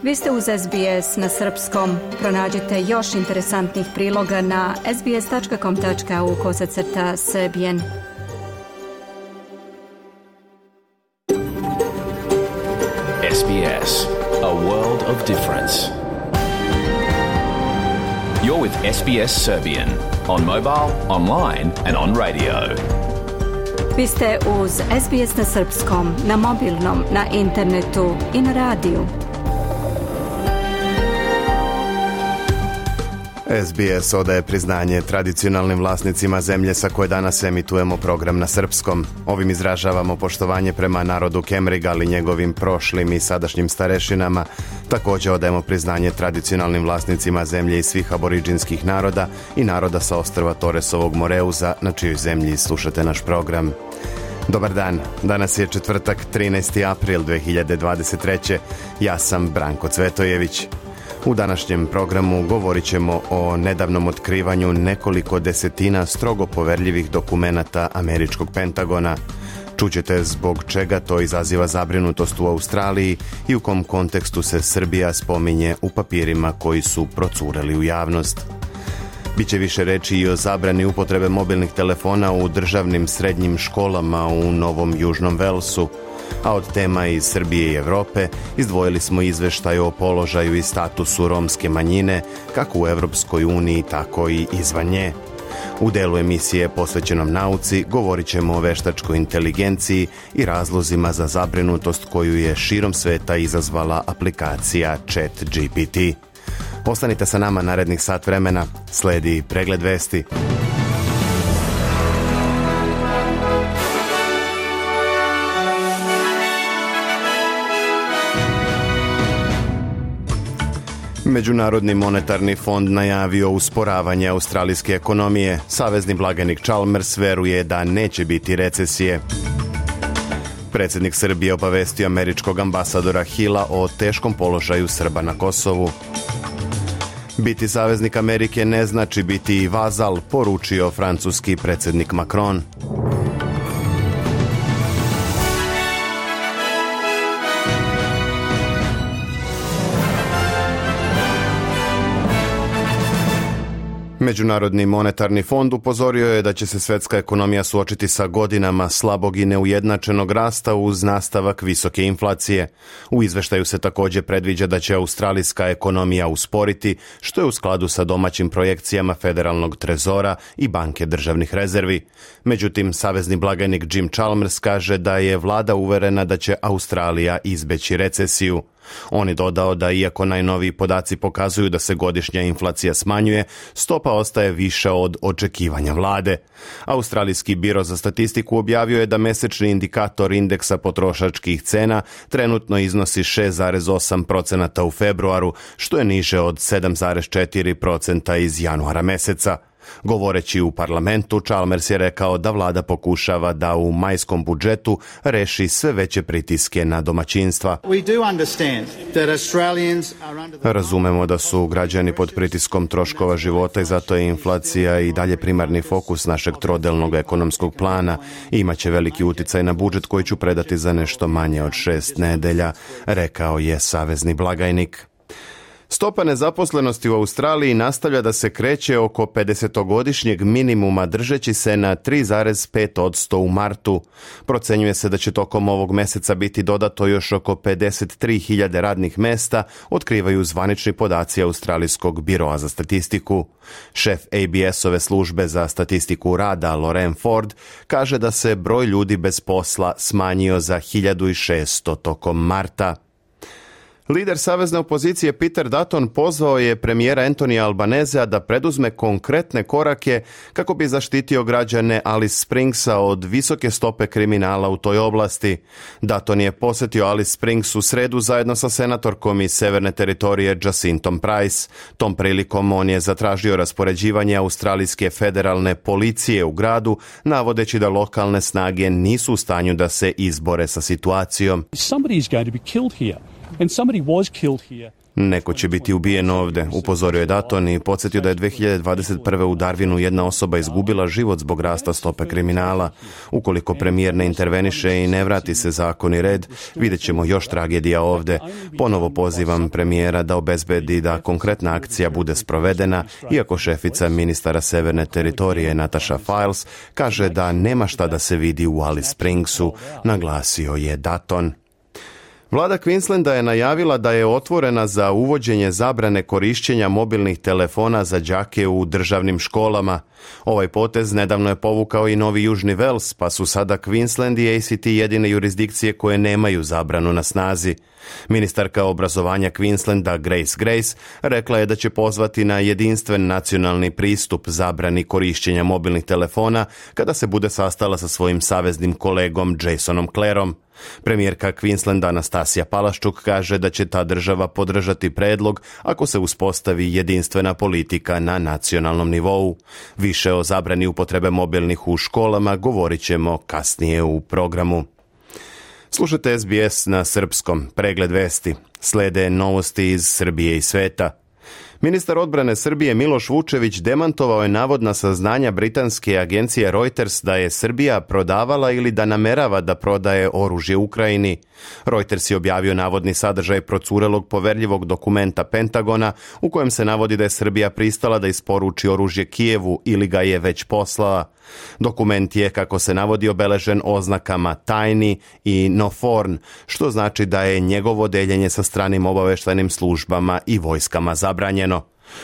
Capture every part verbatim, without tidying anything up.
Vi ste uz S B S na srpskom. Pronađite još interesantnih priloga na sbs.com.au kosacrta srbijen. S B S, a world of difference. You're with S B S Serbian on mobile, online and on radio. Vi ste uz S B S na srpskom, na mobilnom, na internetu i na radiju. S B S odaje priznanje tradicionalnim vlasnicima zemlje sa koje danas emitujemo program na srpskom. Ovim izražavamo poštovanje prema narodu Kemriga, ali njegovim prošlim i sadašnjim starešinama. Također odajemo priznanje tradicionalnim vlasnicima zemlje i svih aboriđinskih naroda i naroda sa ostrva Toresovog Moreuza, na čijoj zemlji slušate naš program. Dobar dan, danas je četvrtak, trinaesti april dve hiljade dvadeset treće. Ja sam Branko Cvetojević. U današnjem programu govorit ćemo o nedavnom otkrivanju nekoliko desetina strogo poverljivih dokumenata američkog Pentagona. Čućete zbog čega to izaziva zabrinutost u Australiji i u kom kontekstu se Srbija spominje u papirima koji su procureli u javnost. Biće više reći i o zabrani upotrebe mobilnih telefona u državnim srednjim školama u Novom Južnom Velsu. A od tema iz Srbije i Evrope izdvojili smo izveštaj o položaju i statusu romske manjine, kako u Evropskoj uniji, tako i izvan nje. U delu emisije posvećenom nauci govorit ćemo o veštačkoj inteligenciji i razlozima za zabrinutost koju je širom sveta izazvala aplikacija Chat G P T. Ostanite sa nama narednih sat vremena, sledi pregled vesti. Međunarodni monetarni fond najavio usporavanje australijske ekonomije. Savezni blagajnik Chalmers veruje da neće biti recesije. Predsjednik Srbije obavestio američkog ambasadora Hilla o teškom položaju Srba na Kosovu. Biti saveznik Amerike ne znači biti i vazal, poručio francuski predsjednik Macron. Međunarodni monetarni fond upozorio je da će se svjetska ekonomija suočiti sa godinama slabog i neujednačenog rasta uz nastavak visoke inflacije. U izveštaju se također predviđa da će australijska ekonomija usporiti, što je u skladu sa domaćim projekcijama Federalnog trezora i Banke državnih rezervi. Međutim, savezni blagajnik Jim Chalmers kaže da je vlada uverena da će Australija izbeći recesiju. On je dodao da iako najnoviji podaci pokazuju da se godišnja inflacija smanjuje, stopa ostaje viša od očekivanja vlade. Australijski biro za statistiku objavio je da mesečni indikator indeksa potrošačkih cena trenutno iznosi šest zarez osam posto u februaru, što je niže od sedam zarez četiri posto iz januara meseca. Govoreći u parlamentu, Chalmers je rekao da vlada pokušava da u majskom budžetu reši sve veće pritiske na domaćinstva. Razumemo da su građani pod pritiskom troškova života i zato je inflacija i dalje primarni fokus našeg trodelnog ekonomskog plana i imaće veliki uticaj na budžet koji ću predati za nešto manje od šest nedelja, rekao je savezni blagajnik. Stopa nezaposlenosti u Australiji nastavlja da se kreće oko pedesetogodišnjeg minimuma, držeći se na tri zarez pet posto u martu. Procenjuje se da će tokom ovog meseca biti dodato još oko pedeset tri hiljade radnih mesta, otkrivaju zvanični podaci Australijskog biroa za statistiku. Šef A B S-ove službe za statistiku rada, Loren Ford, kaže da se broj ljudi bez posla smanjio za hiljadu šesto tokom marta. Lider savezne opozicije Peter Dutton pozvao je premijera Antonija Albanezea da preduzme konkretne korake kako bi zaštitio građane Alice Springsa od visoke stope kriminala u toj oblasti. Dutton je posjetio Alice Springs u sredu zajedno sa senatorkom iz severne teritorije Jacintom Price. Tom prilikom on je zatražio raspoređivanje australijske federalne policije u gradu, navodeći da lokalne snage nisu u stanju da se izbore sa situacijom. Somebody is going to be killed here. And somebody was killed here. Neko će biti ubijen ovde, upozorio je Dutton i podsjetio da je dve hiljade dvadeset prve. u Darwinu jedna osoba izgubila život zbog rasta stope kriminala. Ukoliko premijer ne interveniše i ne vrati se zakon i red, vidjet ćemo još tragedija ovde. Ponovo pozivam premijera da obezbedi da konkretna akcija bude sprovedena, iako šefica ministara Severne teritorije Natasha Files kaže da nema šta da se vidi u Alice Springsu, naglasio je Dutton. Vlada Queenslanda je najavila da je otvorena za uvođenje zabrane korišćenja mobilnih telefona za đake u državnim školama. Ovaj potez nedavno je povukao i Novi Južni Wales, pa su sada Queensland i A C T jedine jurisdikcije koje nemaju zabranu na snazi. Ministarka obrazovanja Queenslanda Grace Grace rekla je da će pozvati na jedinstven nacionalni pristup zabrani korišćenja mobilnih telefona kada se bude sastala sa svojim saveznim kolegom Jasonom Clareom. Premijerka Queenslanda Anastasija Palaščuk kaže da će ta država podržati predlog ako se uspostavi jedinstvena politika na nacionalnom nivou. Više o zabrani upotrebe mobilnih u školama govorit ćemo kasnije u programu. Slušajte S B S na srpskom, pregled vesti. Slede novosti iz Srbije i sveta. Ministar odbrane Srbije Miloš Vučević demantovao je navodna saznanja britanske agencije Reuters da je Srbija prodavala ili da namerava da prodaje oružje Ukrajini. Reuters je objavio navodni sadržaj procurelog poverljivog dokumenta Pentagona u kojem se navodi da je Srbija pristala da isporuči oružje Kijevu ili ga je već poslala. Dokument je, kako se navodi, obeležen oznakama tajni i no foreign, što znači da je njegovo deljenje sa stranim obaveštajnim službama i vojskama zabranjeno.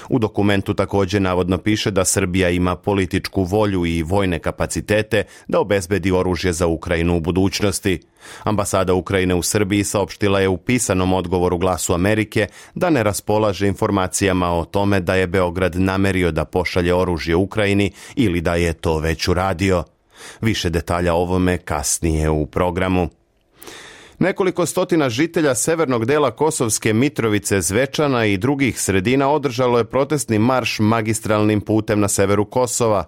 U dokumentu također navodno piše da Srbija ima političku volju i vojne kapacitete da obezbedi oružje za Ukrajinu u budućnosti. Ambasada Ukrajine u Srbiji saopštila je u pisanom odgovoru Glasu Amerike da ne raspolaže informacijama o tome da je Beograd namerio da pošalje oružje Ukrajini ili da je to već uradio. Više detalja o ovome kasnije u programu. Nekoliko stotina žitelja severnog dela Kosovske Mitrovice, Zvečana i drugih sredina održalo je protestni marš magistralnim putem na severu Kosova.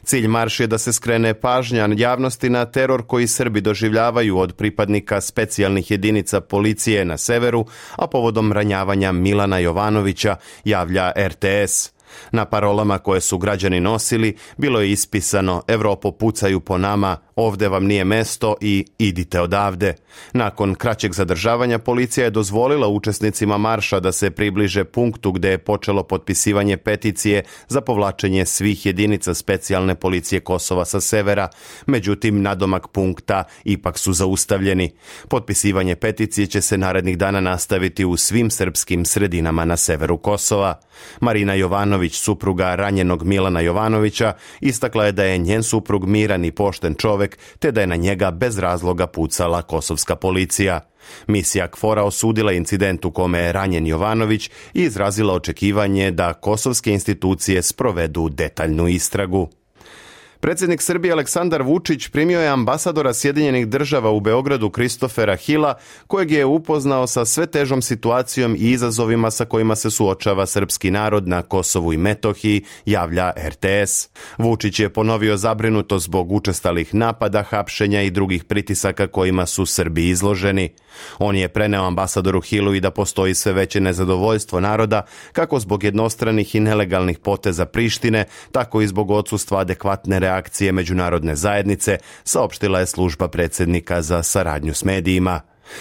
Cilj marš je da se skrene pažnja javnosti na teror koji Srbi doživljavaju od pripadnika specijalnih jedinica policije na severu, a povodom ranjavanja Milana Jovanovića, javlja R T S. Na parolama koje su građani nosili bilo je ispisano "Evropo, pucaju po nama, ovde vam nije mesto" i "idite odavde". Nakon kraćeg zadržavanja policija je dozvolila učesnicima marša da se približe punktu gde je počelo potpisivanje peticije za povlačenje svih jedinica specijalne policije Kosova sa severa, međutim nadomak punkta ipak su zaustavljeni. Potpisivanje peticije će se narednih dana nastaviti u svim srpskim sredinama na severu Kosova. Marina Jovanović, supruga ranjenog Milana Jovanovića, istakla je da je njen suprug miran i pošten čovek, te da je na njega bez razloga pucala kosovska policija. Misija KFOR-a osudila incident u kome je ranjen Jovanović i izrazila očekivanje da kosovske institucije sprovedu detaljnu istragu. Predsjednik Srbije Aleksandar Vučić primio je ambasadora Sjedinjenih država u Beogradu Kristofera Hila, kojeg je upoznao sa sve težom situacijom i izazovima sa kojima se suočava srpski narod na Kosovu i Metohiji, javlja R T S. Vučić je ponovio zabrinutost zbog učestalih napada, hapšenja i drugih pritisaka kojima su Srbi izloženi. On je preneo ambasadoru Hilu i da postoji sve veće nezadovoljstvo naroda, kako zbog jednostranih i nelegalnih poteza Prištine, tako i zbog odsustva adekvatne reakcije međunarodne zajednice, saopštila je služba predsjednika za saradnju s medijima.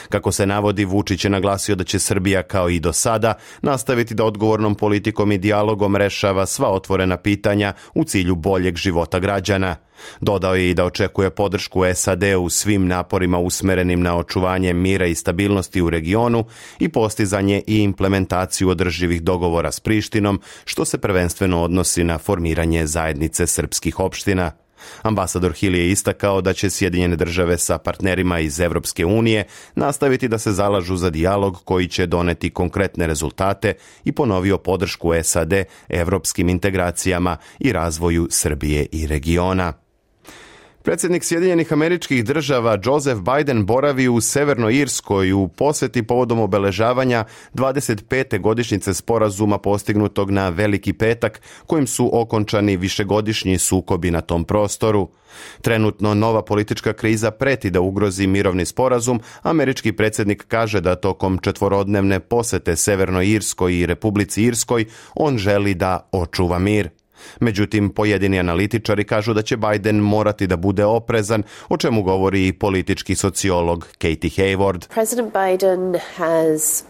Kako se navodi, Vučić je naglasio da će Srbija, kao i do sada, nastaviti da odgovornom politikom i dijalogom rešava sva otvorena pitanja u cilju boljeg života građana. Dodao je i da očekuje podršku S A D u svim naporima usmerenim na očuvanje mira i stabilnosti u regionu i postizanje i implementaciju održivih dogovora s Prištinom, što se prvenstveno odnosi na formiranje zajednice srpskih opština. Ambasador Hill je istakao da će Sjedinjene države sa partnerima iz Evropske unije nastaviti da se zalažu za dijalog koji će doneti konkretne rezultate i ponovio podršku S A D evropskim integracijama i razvoju Srbije i regiona. Predsjednik Sjedinjenih Američkih Država Joseph Biden boravi u Severnoj Irskoj u posjeti povodom obeležavanja dvadeset pete godišnjice sporazuma postignutog na Veliki petak, kojim su okončani višegodišnji sukobi na tom prostoru. Trenutno nova politička kriza preti da ugrozi mirovni sporazum. Američki predsjednik kaže da tokom četvorodnevne posjete Severnoj Irskoj i Republici Irskoj on želi da očuva mir. Međutim, pojedini analitičari kažu da će Biden morati da bude oprezan, o čemu govori i politički sociolog Katie Hayward. President Biden has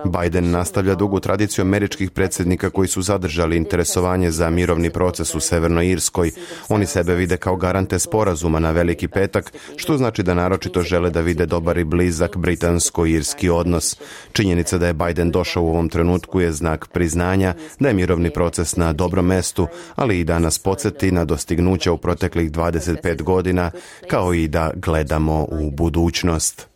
Biden nastavlja dugu tradiciju američkih predsjednika koji su zadržali interesovanje za mirovni proces u Severnoj Irskoj. Oni sebe vide kao garante sporazuma na Veliki petak, što znači da naročito žele da vide dobar i blizak britansko-irski odnos. Činjenica da je Biden došao u ovom trenutku je znak priznanja da je mirovni proces na dobrom mestu, ali i da nas podsjeti na dostignuća u proteklih dvadeset pet godina, kao i da gledamo u budućnost.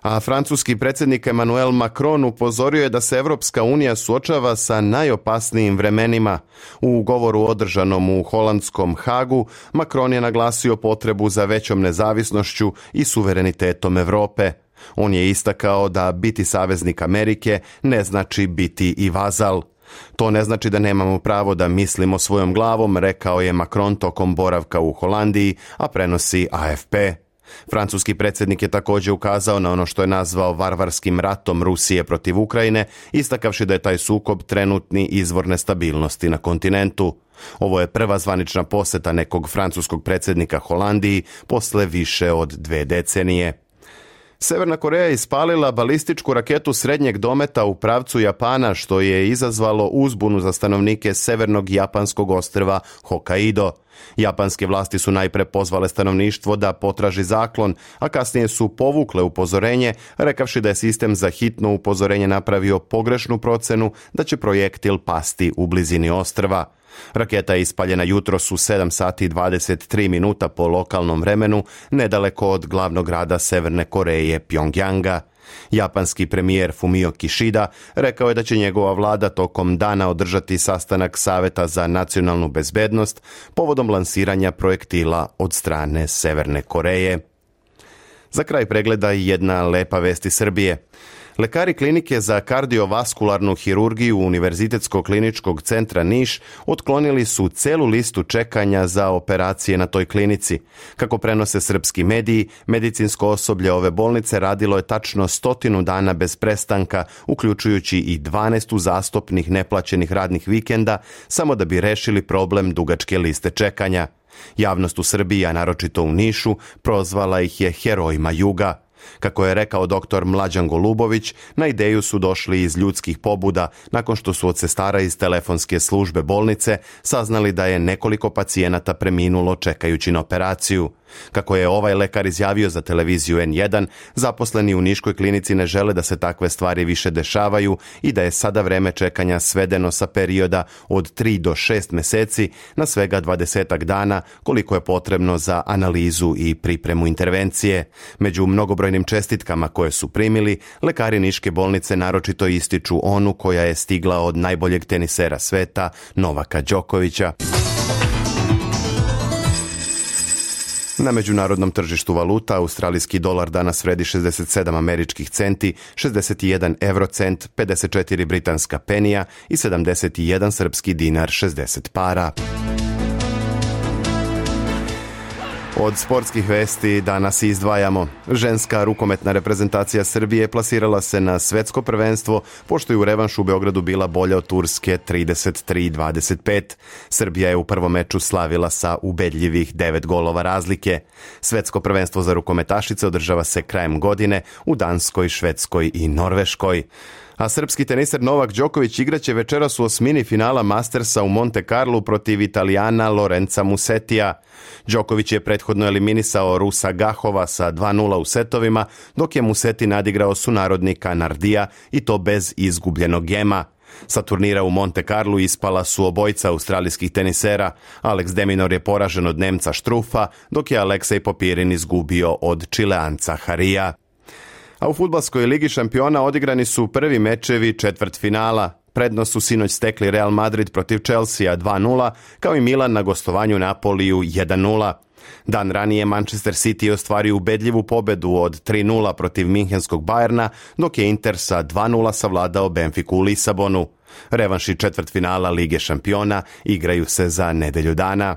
A francuski predsjednik Emmanuel Macron upozorio je da se Evropska unija suočava sa najopasnijim vremenima. U govoru održanom u holandskom Hagu, Macron je naglasio potrebu za većom nezavisnošću i suverenitetom Europe. On je istakao da biti saveznik Amerike ne znači biti i vazal. To ne znači da nemamo pravo da mislimo svojom glavom, rekao je Macron tokom boravka u Holandiji, a prenosi A F P. Francuski predsjednik je također ukazao na ono što je nazvao varvarskim ratom Rusije protiv Ukrajine, istakavši da je taj sukob trenutni izvor nestabilnosti na kontinentu. Ovo je prva zvanična posjeta nekog francuskog predsjednika Holandiji posle više od dve decenije. Severna Koreja je ispalila balističku raketu srednjeg dometa u pravcu Japana, što je izazvalo uzbunu za stanovnike severnog japanskog ostrva Hokkaido. Japanske vlasti su najpre pozvale stanovništvo da potraži zaklon, a kasnije su povukle upozorenje, rekavši da je sistem za hitno upozorenje napravio pogrešnu procenu da će projektil pasti u blizini ostrva. Raketa je ispaljena jutros u sedam sati i dvadeset tri minuta po lokalnom vremenu, nedaleko od glavnog grada Severne Koreje, Pjongjanga. Japanski premijer Fumio Kishida rekao je da će njegova vlada tokom dana održati sastanak Saveta za nacionalnu bezbednost povodom lansiranja projektila od strane Severne Koreje. Za kraj pregleda jedna lepa vest iz Srbije. Lekari klinike za kardiovaskularnu hirurgiju Univerzitetskog kliničkog centra Niš otklonili su celu listu čekanja za operacije na toj klinici. Kako prenose srpski mediji, medicinsko osoblje ove bolnice radilo je tačno stotinu dana bez prestanka, uključujući i dvanaest uzastopnih neplaćenih radnih vikenda, samo da bi rešili problem dugačke liste čekanja. Javnost u Srbiji, a naročito u Nišu, prozvala ih je herojima juga. Kako je rekao doktor Mlađan Golubović, na ideju su došli iz ljudskih pobuda nakon što su od sestara iz telefonske službe bolnice saznali da je nekoliko pacijenata preminulo čekajući na operaciju. Kako je ovaj lekar izjavio za televiziju N jedan, zaposleni u Niškoj klinici ne žele da se takve stvari više dešavaju i da je sada vreme čekanja svedeno sa perioda od tri do šest meseci na svega dvadesetak dana, koliko je potrebno za analizu i pripremu intervencije. Među mnogobrojnim čestitkama koje su primili, lekari Niške bolnice naročito ističu onu koja je stigla od najboljeg tenisera sveta, Novaka Đokovića. Na međunarodnom tržištu valuta australijski dolar danas vredi šezdeset sedam američkih centi, šezdeset jedan eurocent, pedeset četiri britanska penija i sedamdeset jedan srpski dinar šezdeset para. Od sportskih vesti danas izdvajamo. Ženska rukometna reprezentacija Srbije plasirala se na svetsko prvenstvo, pošto je u revanšu u Beogradu bila bolja od Turske trideset tri dvadeset pet. Srbija je u prvom meču slavila sa ubedljivih devet golova razlike. Svetsko prvenstvo za rukometašice održava se krajem godine u Danskoj, Švedskoj i Norveškoj. A srpski teniser Novak Đoković igraće večeras u osmini finala Mastersa u Monte Carlu protiv Italijana Lorenza Musetija. Đoković je prethodno eliminisao Rusa Gahova sa dva nula u setovima, dok je Museti nadigrao sunarodnika Nardija i to bez izgubljenog gema. Sa turnira u Monte Carlu ispala su obojica australijskih tenisera. Alex de Minaur je poražen od Nemca Štrufa, dok je Aleksej Popirin izgubio od Čileanca Harija. A u fudbalskoj ligi šampiona odigrani su prvi mečevi četvrtfinala. Prednost su sinoć stekli Real Madrid protiv Chelsea dva nula, kao i Milan na gostovanju Napoliju jedan nula. Dan ranije Manchester City ostvario ubedljivu pobedu od tri nula protiv minhenskog Bayerna, dok je Inter sa dva nula savladao Benfiku u Lisabonu. Revanši četvrtfinala Lige šampiona igraju se za nedelju dana.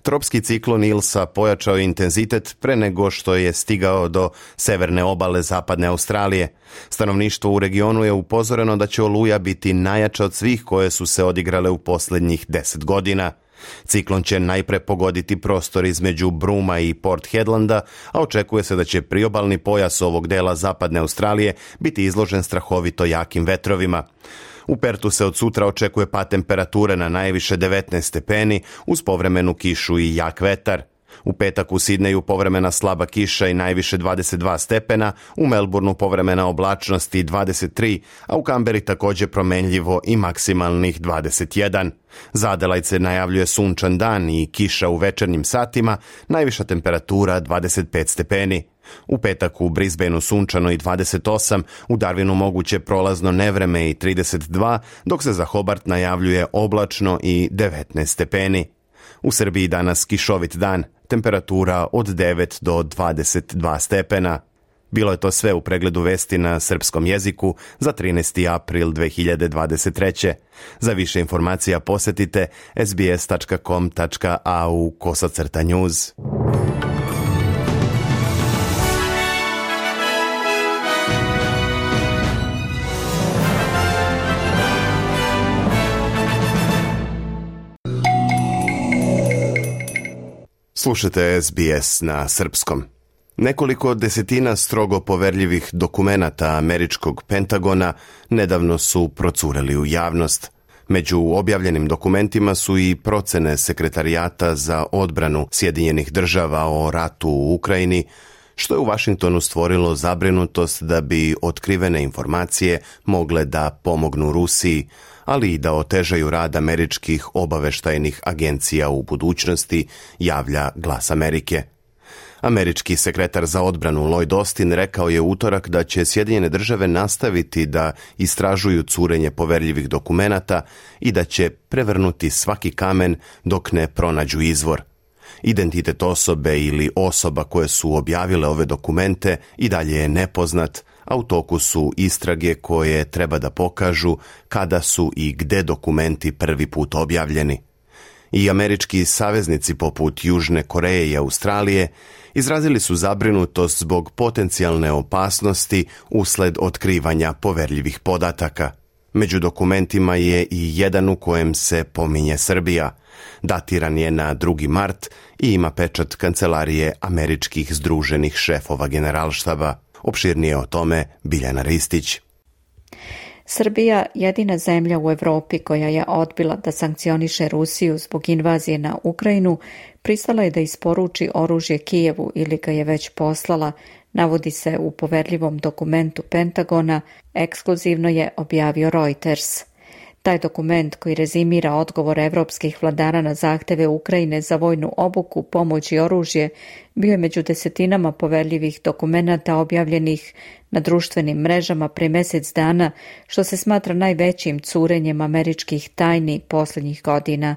Tropski ciklon Ilsa pojačao intenzitet pre nego što je stigao do severne obale zapadne Australije. Stanovništvo u regionu je upozoreno da će oluja biti najjača od svih koje su se odigrale u posljednjih deset godina. Ciklon će najpre pogoditi prostor između Bruma i Port Hedlanda, a očekuje se da će priobalni pojas ovog dela zapadne Australije biti izložen strahovito jakim vetrovima. U Pertu se od sutra očekuje pad temperature na najviše devetnaest stepeni uz povremenu kišu i jak vetar. U petak u Sidneju povremena slaba kiša i najviše dvadeset dva stepena, u Melbourneu povremena oblačnost i dvadeset tri, a u Kamberi također promenljivo i maksimalnih dvadeset jedan. Za Adelaide se najavljuje sunčan dan i kiša u večernjim satima, najviša temperatura dvadeset pet stepeni. U petak u Brisbaneu sunčano i dvadeset osam, u Darwinu moguće prolazno nevreme i trideset dva, dok se za Hobart najavljuje oblačno i devetnaest stepeni. U Srbiji danas kišovit dan, temperatura od devet do dvadeset dva stepena. Bilo je to sve u pregledu vesti na srpskom jeziku za trinaesti april dve hiljade dvadeset treće. Za više informacija posjetite sbs tačka com tačka a u kosacrta news. Slušajte S B S na srpskom. Nekoliko desetina strogo poverljivih dokumenata američkog Pentagona nedavno su procureli u javnost. Među objavljenim dokumentima su i procene Sekretarijata za odbranu Sjedinjenih država o ratu u Ukrajini, što je u Vašingtonu stvorilo zabrinutost da bi otkrivene informacije mogle da pomognu Rusiji, ali i da otežaju rad američkih obaveštajnih agencija u budućnosti, javlja Glas Amerike. Američki sekretar za odbranu Lloyd Austin rekao je u utorak da će Sjedinjene države nastaviti da istražuju curenje poverljivih dokumenata i da će prevrnuti svaki kamen dok ne pronađu izvor. Identitet osobe ili osoba koje su objavile ove dokumente i dalje je nepoznat, a u toku su istrage koje treba da pokažu kada su i gde dokumenti prvi put objavljeni. I američki saveznici poput Južne Koreje i Australije izrazili su zabrinutost zbog potencijalne opasnosti usled otkrivanja poverljivih podataka. Među dokumentima je i jedan u kojem se pominje Srbija. Datiran je na drugi mart i ima pečat Kancelarije američkih združenih šefova generalštaba. Opširnije o tome Biljana Ristić. Srbija, jedina zemlja u Evropi koja je odbila da sankcioniše Rusiju zbog invazije na Ukrajinu, pristala je da isporuči oružje Kijevu ili ga je već poslala, navodi se u poverljivom dokumentu Pentagona, ekskluzivno je objavio Reuters. Taj dokument koji rezimira odgovor evropskih vladara na zahteve Ukrajine za vojnu obuku, pomoć i oružje bio je među desetinama poverljivih dokumenata objavljenih na društvenim mrežama pre mjesec dana, što se smatra najvećim curenjem američkih tajni posljednjih godina.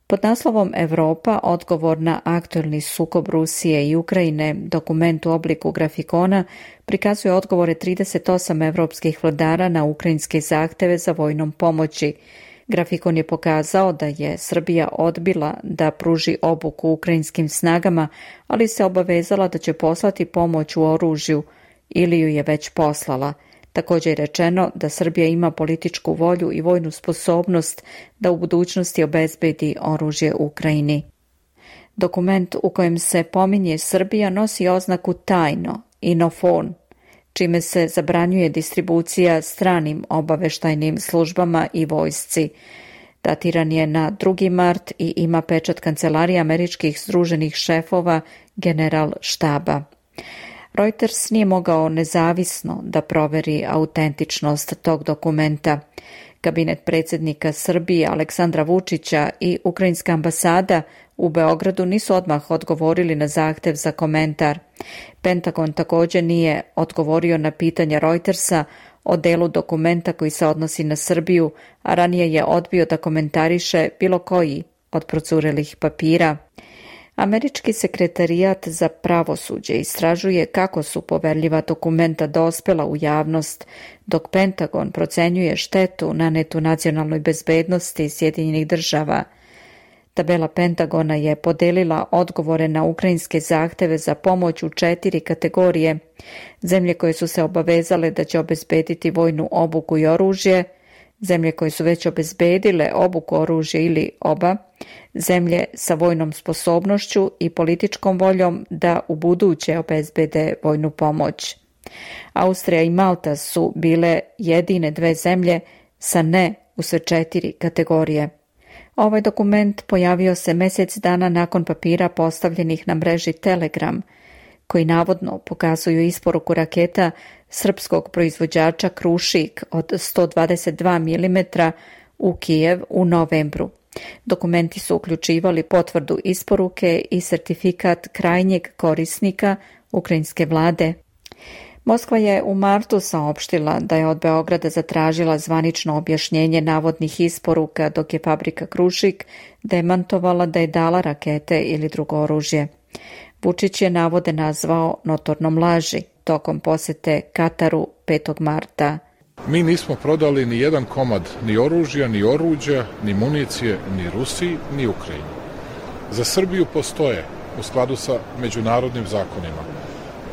Pod naslovom Evropa, odgovor na aktuelni sukob Rusije i Ukrajine, dokument u obliku grafikona prikazuje odgovore trideset osam evropskih vladara na ukrajinske zahteve za vojnom pomoći. Grafikon je pokazao da je Srbija odbila da pruži obuku ukrajinskim snagama, ali se obavezala da će poslati pomoć u oružju ili ju je već poslala. Također je rečeno da Srbija ima političku volju i vojnu sposobnost da u budućnosti obezbedi oružje Ukrajini. Dokument u kojem se pominje Srbija nosi oznaku tajno, inofon, čime se zabranjuje distribucija stranim obaveštajnim službama i vojsci. Datiran je na drugi mart i ima pečat Kancelarije američkih združenih šefova general štaba. Reuters nije mogao nezavisno da proveri autentičnost tog dokumenta. Kabinet predsjednika Srbije Aleksandra Vučića i ukrajinska ambasada u Beogradu nisu odmah odgovorili na zahtev za komentar. Pentagon također nije odgovorio na pitanja Reutersa o delu dokumenta koji se odnosi na Srbiju, a ranije je odbio da komentariše bilo koji od procurelih papira. Američki sekretarijat za pravosuđe istražuje kako su poverljiva dokumenta dospela u javnost, dok Pentagon procenjuje štetu nanetu nacionalnoj bezbednosti Sjedinjenih država. Tabela Pentagona je podelila odgovore na ukrajinske zahteve za pomoć u četiri kategorije. Zemlje koje su se obavezale da će obezbediti vojnu obuku i oružje, zemlje koje su već obezbedile obuku, oružje ili oba, zemlje sa vojnom sposobnošću i političkom voljom da u buduće obezbede vojnu pomoć. Austrija i Malta su bile jedine dve zemlje sa ne u sve četiri kategorije. Ovaj dokument pojavio se mjesec dana nakon papira postavljenih na mreži Telegram, koji navodno pokazuju isporuku raketa srpskog proizvođača Krušik od sto dvadeset dva milimetra u Kijev u novembru. Dokumenti su uključivali potvrdu isporuke i sertifikat krajnjeg korisnika ukrajinske vlade. Moskva je u martu saopštila da je od Beograda zatražila zvanično objašnjenje navodnih isporuka, dok je fabrika Krušik demantovala da je dala rakete ili drugo oružje. Vučić je navode nazvao notornom laži tokom posete Kataru petog marta. Mi nismo prodali ni jedan komad ni oružja, ni oruđa, ni municije, ni Rusiji, ni Ukrajini. Za Srbiju postoje, u skladu sa međunarodnim zakonima,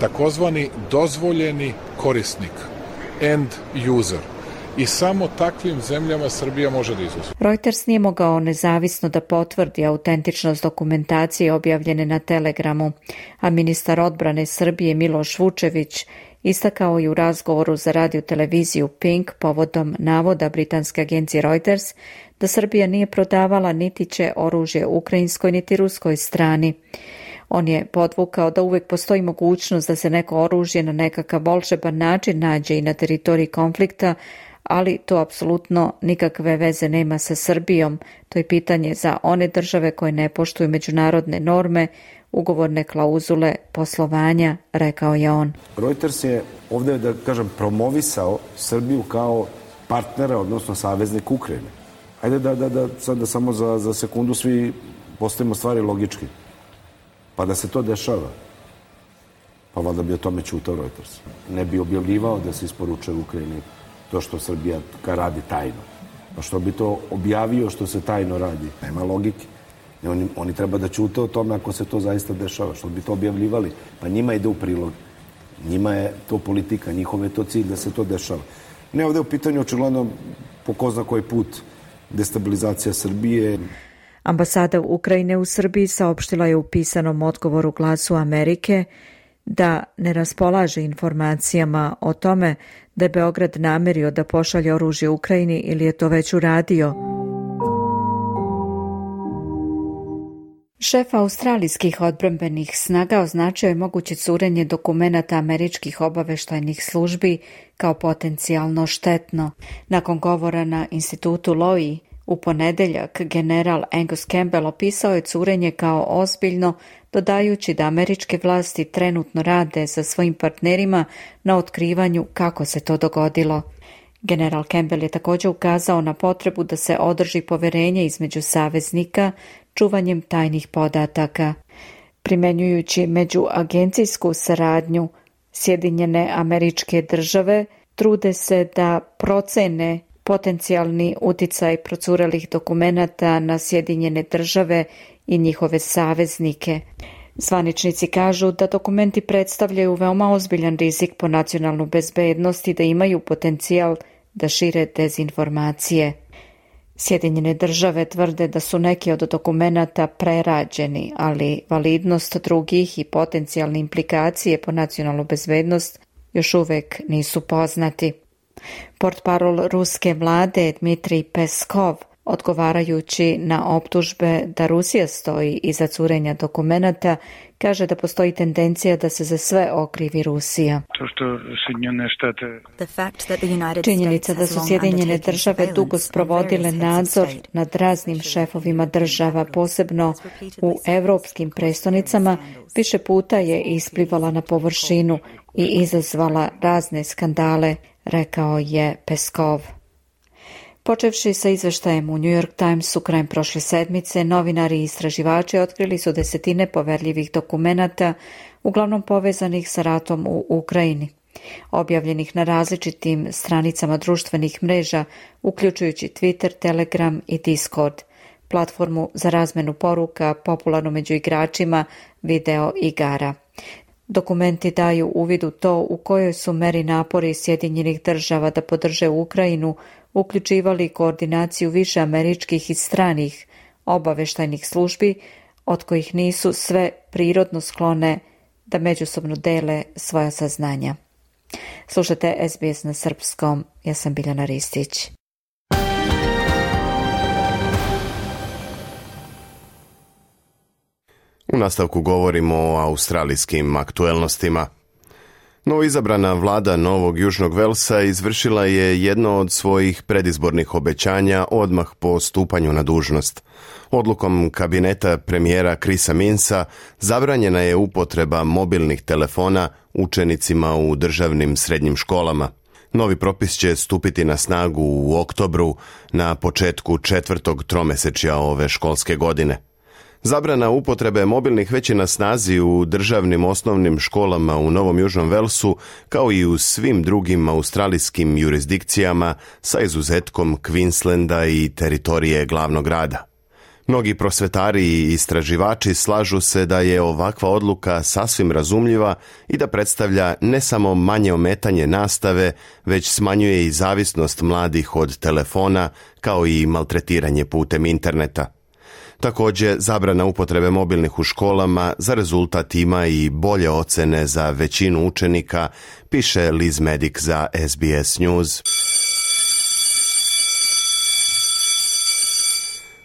takozvani dozvoljeni korisnik, end user. I samo takvim zemljama Srbija može da izuzme. Reuters nije mogao nezavisno da potvrdi autentičnost dokumentacije objavljene na Telegramu, a ministar odbrane Srbije Miloš Vučević istakao je u razgovoru za radio-televiziju Pink povodom navoda britanske agencije Reuters da Srbija nije prodavala niti će oružje ukrajinskoj niti ruskoj strani. On je podvukao da uvek postoji mogućnost da se neko oružje na nekakav volšeban način nađe i na teritoriji konflikta, ali to apsolutno nikakve veze nema sa Srbijom. To je pitanje za one države koje ne poštuju međunarodne norme, ugovorne klauzule poslovanja, rekao je on. Reuters je ovdje, da kažem, promovisao Srbiju kao partnera, odnosno saveznik Ukrajine. Ajde da, da, da sad da samo za, za sekundu svi postavimo stvari logički. Pa da se to dešava, pa valjda bi o tome ćutao Reuters. Ne bi objavljivao da se isporučuje Ukrajini to što Srbija radi tajno. Pa što bi to objavio što se tajno radi? Nema logike. Oni, oni treba da ćute o tome ako se to zaista dešava. Što bi to objavljivali? Pa njima ide u prilog. Njima je to politika, njihov je to cilj da se to dešava. Ne, ovdje u pitanju očigledno po ko zna koji put destabilizacija Srbije. Ambasada Ukrajine u Srbiji saopštila je u pisanom odgovoru Glasu Amerike da ne raspolaže informacijama o tome da je Beograd namerio da pošalje oružje Ukrajini ili je to već uradio. Šef australijskih odbrambenih snaga označio je moguće curenje dokumenata američkih obaveštajnih službi kao potencijalno štetno. Nakon govora na institutu Lowy u ponedeljak, general Angus Campbell opisao je curenje kao ozbiljno, dodajući da američke vlasti trenutno rade sa svojim partnerima na otkrivanju kako se to dogodilo. General Campbell je također ukazao na potrebu da se održi poverenje između saveznika čuvanjem tajnih podataka. Primenjujući međuagencijsku saradnju, Sjedinjene Američke Države trude se da procene potencijalni uticaj procurelih dokumenata na Sjedinjene Države i njihove saveznike. Zvaničnici kažu da dokumenti predstavljaju veoma ozbiljan rizik po nacionalnu bezbednost i da imaju potencijal da šire dezinformacije. Sjedinjene Države tvrde da su neki od dokumenata prerađeni, ali validnost drugih i potencijalne implikacije po nacionalnu bezbednost još uvek nisu poznati. Portparol ruske vlade Dmitrij Peskov Odgovarajući na optužbe da Rusija stoji iza curenja dokumenata, kaže da postoji tendencija da se za sve okrivi Rusija. Činjenica da su Sjedinjene države dugo sprovodile nadzor nad raznim šefovima država, posebno u evropskim prestonicama, više puta je isplivala na površinu i izazvala razne skandale, rekao je Peskov. Počevši sa izveštajem u New York Timesu krajem prošle sedmice, novinari i istraživači otkrili su desetine poverljivih dokumenata, uglavnom povezanih sa ratom u Ukrajini, objavljenih na različitim stranicama društvenih mreža, uključujući Twitter, Telegram i Discord, platformu za razmenu poruka popularnu među igračima video igara. Dokumenti daju uvid u to u kojoj su meri napori Sjedinjenih država da podrže Ukrajinu uključivali koordinaciju više američkih i stranih obaveštajnih službi, od kojih nisu sve prirodno sklone da međusobno dele svoja saznanja. Slušate S B S na srpskom, ja sam Biljana Ristić. U nastavku govorimo o australijskim aktuelnostima. Novoizabrana vlada Novog Južnog Velsa izvršila je jedno od svojih predizbornih obećanja odmah po stupanju na dužnost. Odlukom kabineta premijera Chrisa Minsa zabranjena je upotreba mobilnih telefona učenicima u državnim srednjim školama. Novi propis će stupiti na snagu u oktobru na početku četvrtog tromesečja ove školske godine. Zabrana upotrebe mobilnih već je na snazi u državnim osnovnim školama u Novom Južnom Velsu, kao i u svim drugim australijskim jurisdikcijama sa izuzetkom Queenslanda i teritorije glavnog grada. Mnogi prosvetari i istraživači slažu se da je ovakva odluka sasvim razumljiva i da predstavlja ne samo manje ometanje nastave, već smanjuje i zavisnost mladih od telefona, kao i maltretiranje putem interneta. Također, zabrana upotrebe mobilnih u školama za rezultat ima i bolje ocene za većinu učenika, piše Liz Medic za S B S News.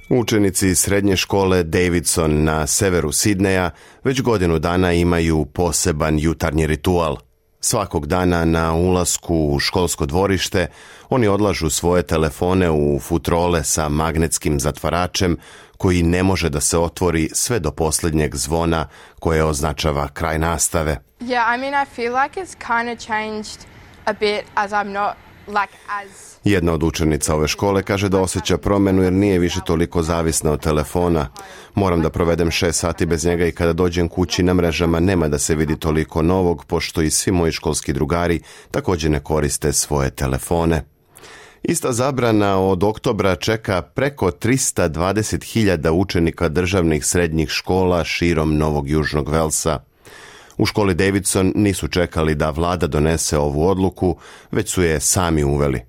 Učenici srednje škole Davidson na severu Sidneja već godinu dana imaju poseban jutarnji ritual. Svakog dana na ulasku u školsko dvorište oni odlažu svoje telefone u futrole sa magnetskim zatvaračem koji ne može da se otvori sve do posljednjeg zvona koje označava kraj nastave. Yeah, I mean, I feel like it's kind of changed a bit as I'm not like as Jedna od učenica ove škole kaže da osjeća promjenu jer nije više toliko zavisna od telefona. Moram da provedem šest sati bez njega i kada dođem kući na mrežama nema da se vidi toliko novog, pošto i svi moji školski drugari također ne koriste svoje telefone. Ista zabrana od oktobra čeka preko tristo dvadeset hiljada učenika državnih srednjih škola širom Novog Južnog Velsa. U školi Davidson nisu čekali da vlada donese ovu odluku, već su je sami uveli.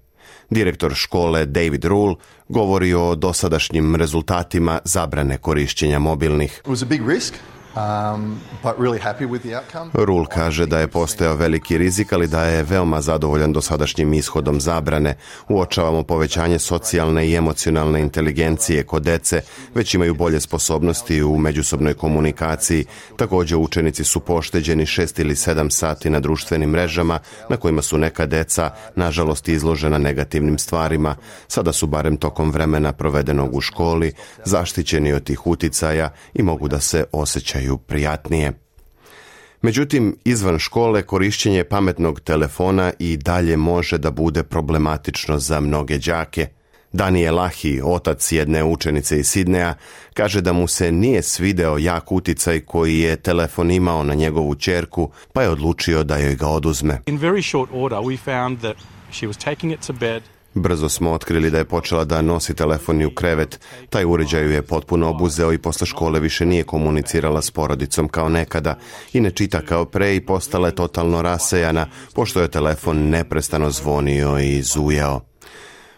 Direktor škole David Rule govori o dosadašnjim rezultatima zabrane korišćenja mobilnih. It was a big risk. Um, but really happy with the outcome. Rule kaže da je postojao veliki rizik, ali da je veoma zadovoljan dosadašnjim ishodom zabrane. Uočavamo povećanje socijalne i emocionalne inteligencije kod dece, već imaju bolje sposobnosti u međusobnoj komunikaciji. Također učenici su pošteđeni šest ili sedam sati na društvenim mrežama na kojima su neka deca nažalost izložena negativnim stvarima. Sada su barem tokom vremena provedenog u školi zaštićeni od tih uticaja i mogu da se osjećaju prijatnije. Međutim, izvan škole korišćenje pametnog telefona i dalje može da bude problematično za mnoge đake. Daniel Lahi, otac jedne učenice iz Sidneja, kaže da mu se nije svideo jak uticaj koji je telefon imao na njegovu ćerku, pa je odlučio da joj ga oduzme. In very short order we found that she was taking it to bed. Brzo smo otkrili da je počela da nosi telefon i u krevet. Taj uređaj ju je potpuno obuzeo i posle škole više nije komunicirala s porodicom kao nekada i ne čita kao pre i postala je totalno rasejana, pošto je telefon neprestano zvonio i zujao.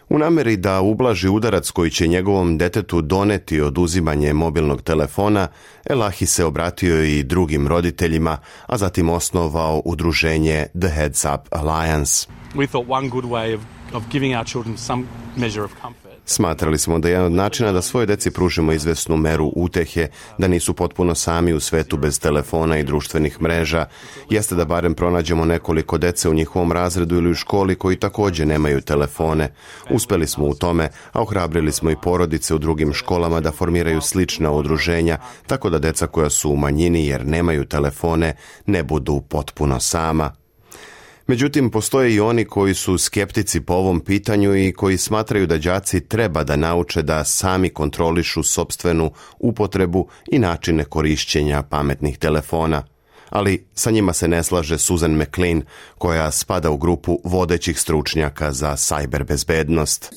U nameri da ublaži udarac koji će njegovom detetu doneti oduzimanje mobilnog telefona, Elahi se obratio i drugim roditeljima, a zatim osnovao udruženje The Heads Up Alliance. We thought one good way of of giving our children some measure of comfort. Smatrali smo da je jedan od načina da svoje deci pružimo izvesnu meru utehe, da nisu potpuno sami u svetu bez telefona i društvenih mreža, jeste da barem pronađemo nekoliko dece u njihovom razredu ili u školi koji također nemaju telefone. Uspeli smo u tome, a ohrabrili smo i porodice u drugim školama da formiraju slična udruženja, tako da deca koja su u manjini jer nemaju telefone ne budu potpuno sama. Međutim, postoje i oni koji su skeptici po ovom pitanju i koji smatraju da đaci treba da nauče da sami kontrolišu sopstvenu upotrebu i načine korišćenja pametnih telefona. Ali sa njima se ne slaže Susan McLean, koja spada u grupu vodećih stručnjaka za sajber bezbednost.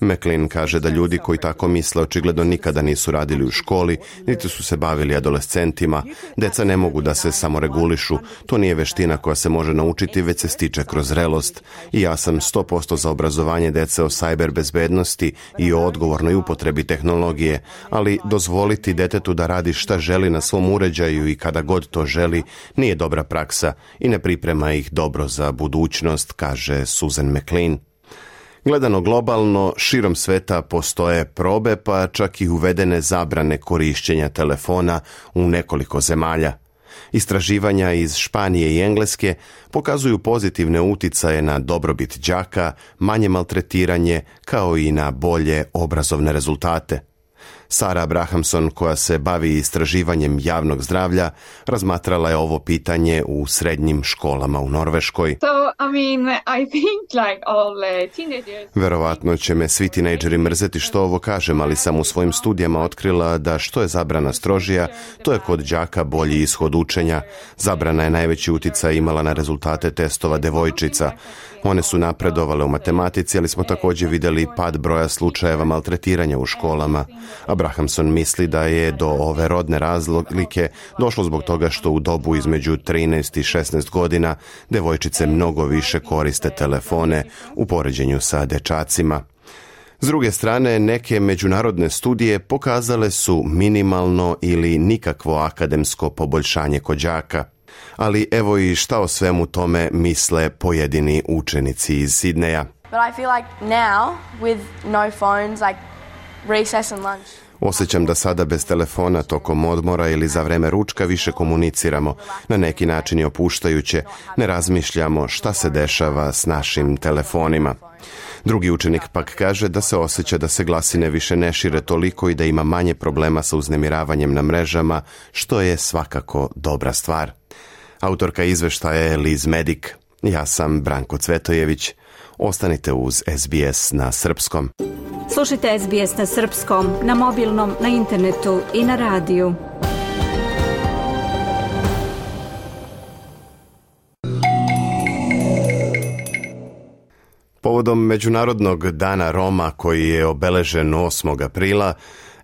McLean kaže da ljudi koji tako misle očigledno nikada nisu radili u školi, niti su se bavili adolescentima. Deca ne mogu da se samoregulišu. To nije veština koja se može naučiti, već se stiče kroz zrelost. I ja sam sto posto za obrazovanje dece o sajber bezbednosti i o odgovornoj upotrebi tehnologije, ali dozvoliti detetu da radi šta želi na svom uređaju i kada god to želi nije dobra praksa i ne priprema ih dobro za budućnost, kaže Susan McLean. Gledano globalno, širom sveta postoje probe, pa čak i uvedene zabrane korišćenja telefona u nekoliko zemalja. Istraživanja iz Španije i Engleske pokazuju pozitivne uticaje na dobrobit đaka, manje maltretiranje, kao i na bolje obrazovne rezultate. Sara Abrahamson, koja se bavi istraživanjem javnog zdravlja, razmatrala je ovo pitanje u srednjim školama u Norveškoj. So, I mean, I think like all teenagers... Verovatno će me svi tinejdžeri mrzeti što ovo kažem, ali sam u svojim studijama otkrila da što je zabrana strožija, to je kod đaka bolji ishod učenja. Zabrana je najveći uticaj imala na rezultate testova devojčica. One su napredovale u matematici, ali smo također vidjeli pad broja slučajeva maltretiranja u školama. Abrahamson misli da je do ove rodne razlike došlo zbog toga što u dobu između trinaest i šesnaest godina devojčice mnogo više koriste telefone u poređenju sa dečacima. S druge strane, neke međunarodne studije pokazale su minimalno ili nikakvo akademsko poboljšanje kod đaka. Ali evo i šta o svemu tome misle pojedini učenici iz Sidneja. But I feel like now with no phones, like recess and lunch. Osjećam da sada bez telefona tokom odmora ili za vreme ručka više komuniciramo. Na neki način je opuštajuće, ne razmišljamo šta se dešava s našim telefonima. Drugi učenik pak kaže da se osjeća da se glasine više ne šire toliko i da ima manje problema sa uznemiravanjem na mrežama, što je svakako dobra stvar. Autorka izveštaja je Liz Medik. Ja sam Branko Cvetojević. Ostanite uz S B S na srpskom. Slušajte S B S na srpskom, na mobilnom, na internetu i na radiju. Povodom Međunarodnog dana Roma koji je obeležen osmog aprila,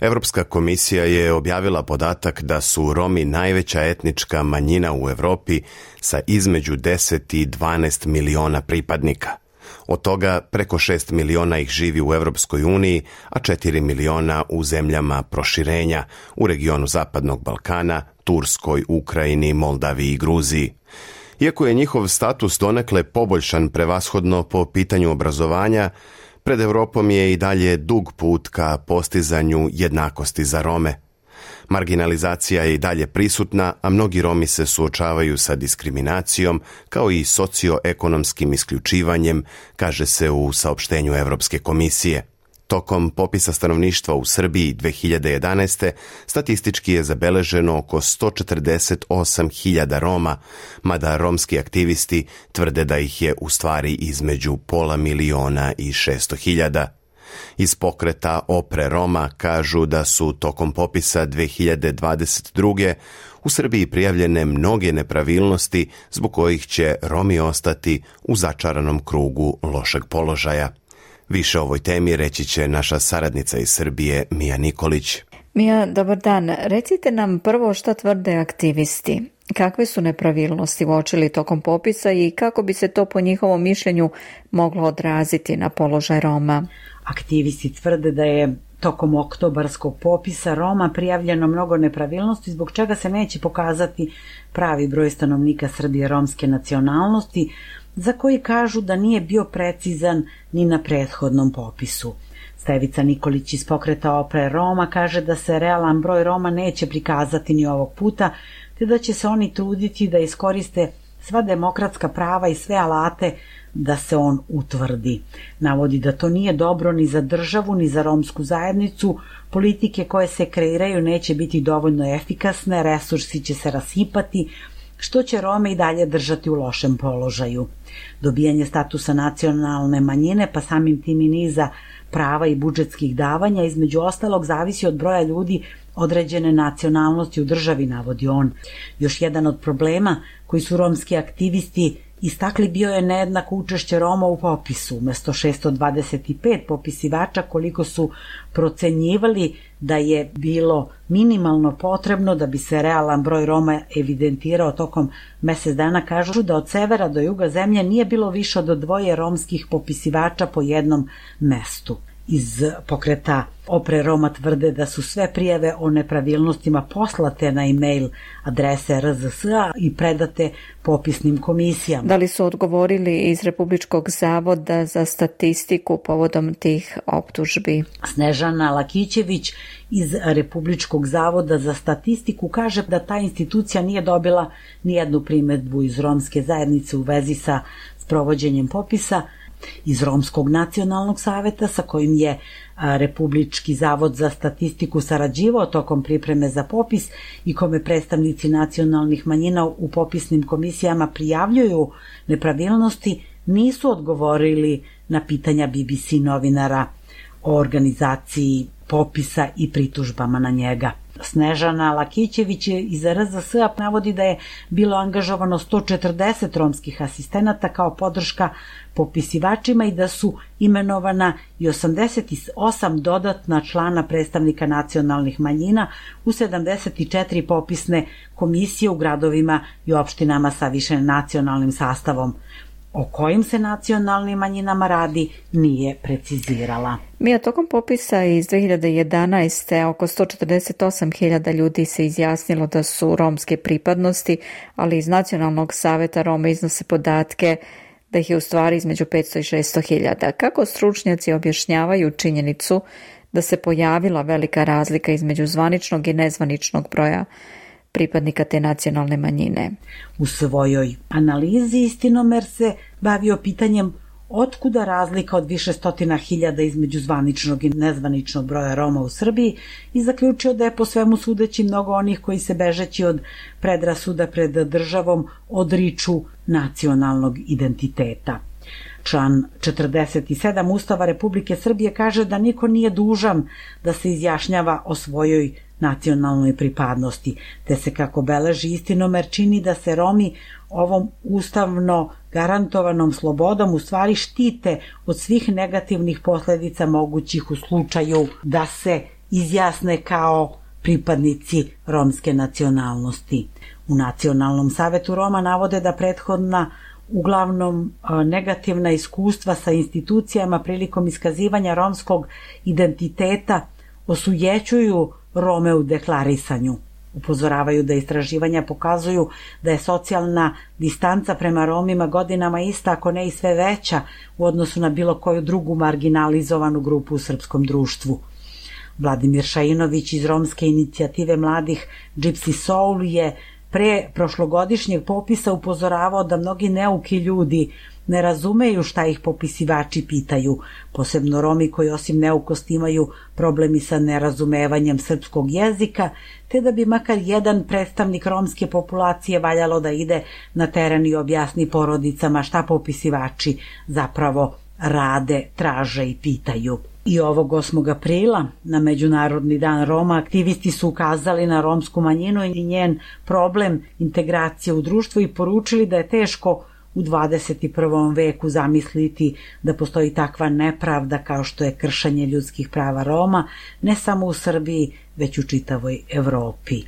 Evropska komisija je objavila podatak da su Romi najveća etnička manjina u Evropi sa između deset i dvanaest miliona pripadnika. Od toga preko šest miliona ih živi u Evropskoj uniji, a četiri miliona u zemljama proširenja, u regionu Zapadnog Balkana, Turskoj, Ukrajini, Moldaviji i Gruziji. Iako je njihov status donekle poboljšan prevashodno po pitanju obrazovanja, pred Evropom je i dalje dug put ka postizanju jednakosti za Rome. Marginalizacija je i dalje prisutna, a mnogi Romi se suočavaju sa diskriminacijom kao i socioekonomskim isključivanjem, kaže se u saopštenju Evropske komisije. Tokom popisa stanovništva u Srbiji dve hiljade jedanaeste. statistički je zabeleženo oko sto četrdeset osam hiljada Roma, mada romski aktivisti tvrde da ih je u stvari između pola miliona i šesto hiljada. Iz pokreta Opre Roma kažu da su tokom popisa dve hiljade dvadeset druge. u Srbiji prijavljene mnoge nepravilnosti zbog kojih će Romi ostati u začaranom krugu lošeg položaja. Više o ovoj temi reći će naša saradnica iz Srbije, Mija Nikolić. Mija, dobar dan. Recite nam prvo šta tvrde aktivisti. Kakve su nepravilnosti uočili tokom popisa i kako bi se to po njihovom mišljenju moglo odraziti na položaj Roma? Aktivisti tvrde da je tokom oktobarskog popisa Roma prijavljeno mnogo nepravilnosti, zbog čega se neće pokazati pravi broj stanovnika Srbije romske nacionalnosti. za koji kažu da nije bio precizan ni na prethodnom popisu. Stevica Nikolić iz pokreta Opre Roma kaže da se realan broj Roma neće prikazati ni ovog puta, te da će se oni truditi da iskoriste sva demokratska prava i sve alate da se on utvrdi. Navodi da to nije dobro ni za državu, ni za romsku zajednicu, politike koje se kreiraju neće biti dovoljno efikasne, resursi će se rasipati, što će Rome i dalje držati u lošem položaju. Dobijanje statusa nacionalne manjine, pa samim tim i niza prava i budžetskih davanja, između ostalog zavisi od broja ljudi određene nacionalnosti u državi, navodi on. Još jedan od problema koji su romski aktivisti istakli bio je nejednako učešće Roma u popisu. Umesto šesto dvadeset pet popisivača, koliko su procenjivali da je bilo minimalno potrebno da bi se realan broj Roma evidentirao tokom mesec dana, kažu da od severa do juga zemlje nije bilo više od dvoje romskih popisivača po jednom mestu. Iz pokreta Opre Roma tvrde da su sve prijave o nepravilnostima poslate na e-mail adrese R Z S A i predate popisnim komisijama. Da li su odgovorili iz Republičkog zavoda za statistiku povodom tih optužbi? Snežana Lakićević iz Republičkog zavoda za statistiku kaže da ta institucija nije dobila nijednu primedbu iz romske zajednice u vezi sa sprovođenjem popisa. Iz Romskog nacionalnog saveta, sa kojim je Republički zavod za statistiku sarađivao tokom pripreme za popis i kome predstavnici nacionalnih manjina u popisnim komisijama prijavljuju nepravilnosti, nisu odgovorili na pitanja B B C novinara o organizaciji popisa i pritužbama na njega. Snežana Lakićević iz R Z S A navodi da je bilo angažovano sto četrdeset romskih asistenata kao podrška popisivačima i da su imenovana i osamdeset osam dodatna člana predstavnika nacionalnih manjina u sedamdeset četiri popisne komisije u gradovima i opštinama sa više nacionalnim sastavom. O kojim se nacionalnim manjinama radi nije precizirala. Mija, tokom popisa iz dve hiljade jedanaeste. oko sto četrdeset osam hiljada ljudi se izjasnilo da su romske pripadnosti, ali iz Nacionalnog saveta Roma iznose podatke da ih je u stvari između petsto i šesto hiljada. Kako stručnjaci objašnjavaju činjenicu da se pojavila velika razlika između zvaničnog i nezvaničnog broja pripadnika te nacionalne manjine? U svojoj analizi Istinomer se bavio pitanjem otkuda razlika od više stotina hiljada između zvaničnog i nezvaničnog broja Roma u Srbiji i zaključio da je po svemu sudeći mnogo onih koji se bežeći od predrasuda pred državom odriču nacionalnog identiteta. Član četrdeset sedam Ustava Republike Srbije kaže da niko nije dužan da se izjašnjava o svojoj nacionalnoj pripadnosti, te se, kako beleži Istinomer, čini da se Romi ovom ustavno garantovanom slobodom u stvari štite od svih negativnih posledica mogućih u slučaju da se izjasne kao pripadnici romske nacionalnosti. U Nacionalnom savetu Roma navode da prethodna uglavnom negativna iskustva sa institucijama prilikom iskazivanja romskog identiteta osujećuju Rome u deklarisanju. Upozoravaju da istraživanja pokazuju da je socijalna distanca prema Romima godinama ista, ako ne i sve veća, u odnosu na bilo koju drugu marginalizovanu grupu u srpskom društvu. Vladimir Šainović iz romske inicijative mladih Gypsy Soul je pre prošlogodišnjeg popisa upozoravao da mnogi neuki ljudi ne razumeju šta ih popisivači pitaju, posebno Romi koji osim neukosti imaju problemi sa nerazumevanjem srpskog jezika, te da bi makar jedan predstavnik romske populacije valjalo da ide na teren i objasni porodicama šta popisivači zapravo rade, traže i pitaju. I ovog osmog aprila, na Međunarodni dan Roma, aktivisti su ukazali na romsku manjinu i njen problem integracije u društvu i poručili da je teško u dvadeset prvom veku zamisliti da postoji takva nepravda kao što je kršenje ljudskih prava Roma, ne samo u Srbiji, već u čitavoj Evropi.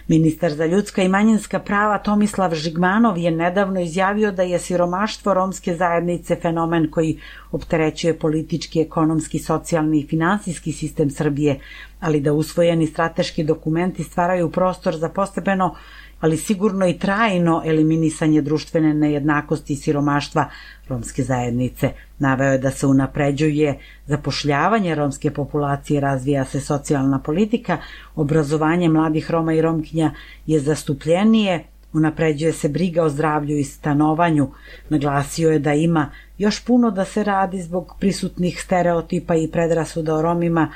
Ministar za ljudska i manjinska prava Tomislav Žigmanov je nedavno izjavio da je siromaštvo romske zajednice fenomen koji opterećuje politički, ekonomski, socijalni i finansijski sistem Srbije, ali da usvojeni strateški dokumenti stvaraju prostor za postepeno, ali sigurno i trajno eliminisanje društvene nejednakosti i siromaštva romske zajednice. Naveo je da se unapređuje zapošljavanje romske populacije, razvija se socijalna politika, obrazovanje mladih Roma i Romkinja je zastupljenije, unapređuje se briga o zdravlju i stanovanju. Naglasio je da ima još puno da se radi zbog prisutnih stereotipa i predrasuda o Romima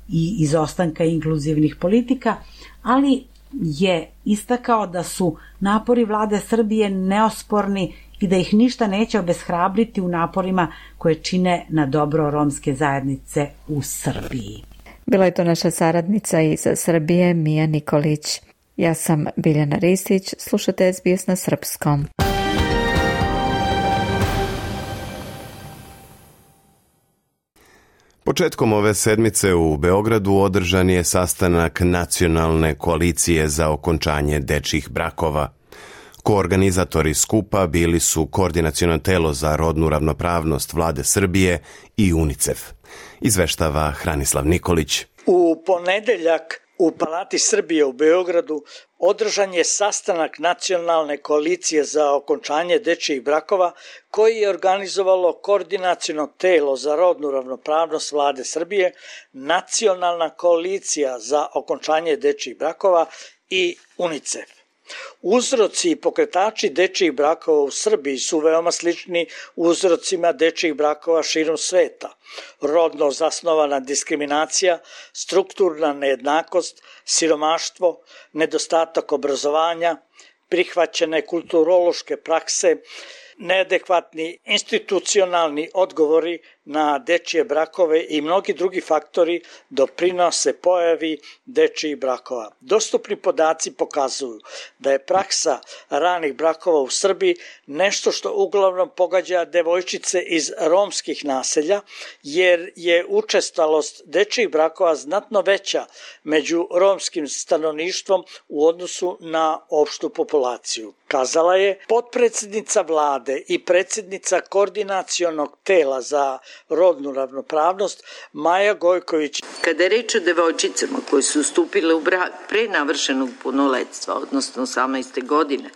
i izostanka inkluzivnih politika, ali je istakao da su napori vlade Srbije neosporni i da ih ništa neće obeshrabriti u naporima koje čine na dobro romske zajednice u Srbiji. Bila je to naša saradnica iz Srbije Mija Nikolić. Ja sam Biljana Ristić, slušate S B S na srpskom. Početkom ove sedmice u Beogradu održan je sastanak Nacionalne koalicije za okončanje dečjih brakova. Koorganizatori skupa bili su Koordinaciono telo za rodnu ravnopravnost Vlade Srbije i UNICEF. Izveštava Hranislav Nikolić. U ponedeljak u Palati Srbije u Beogradu održan je sastanak Nacionalne koalicije za okončanje dečjih brakova koji je organizovalo Koordinaciono telo za rodnu ravnopravnost Vlade Srbije, Nacionalna koalicija za okončanje dečjih brakova i UNICEF. Uzroci i pokretači dečjih brakova u Srbiji su veoma slični uzrocima dečjih brakova širom sveta. Rodno zasnovana diskriminacija, strukturna nejednakost, siromaštvo, nedostatak obrazovanja, prihvaćene kulturološke prakse, neadekvatni institucionalni odgovori na dečje brakove i mnogi drugi faktori doprinose pojavi dečjih brakova. Dostupni podaci pokazuju da je praksa ranih brakova u Srbiji nešto što uglavnom pogađa devojčice iz romskih naselja, jer je učestalost dečjih brakova znatno veća među romskim stanovništvom u odnosu na opštu populaciju. Kazala je potpredsednica vlade i predsednica Koordinacionog tela za rodnu ravnopravnost Maja Gojković. Kada je reč o devojčicama koje su stupile u brak pre navršenog punoletstva, odnosno osamnaeste godine,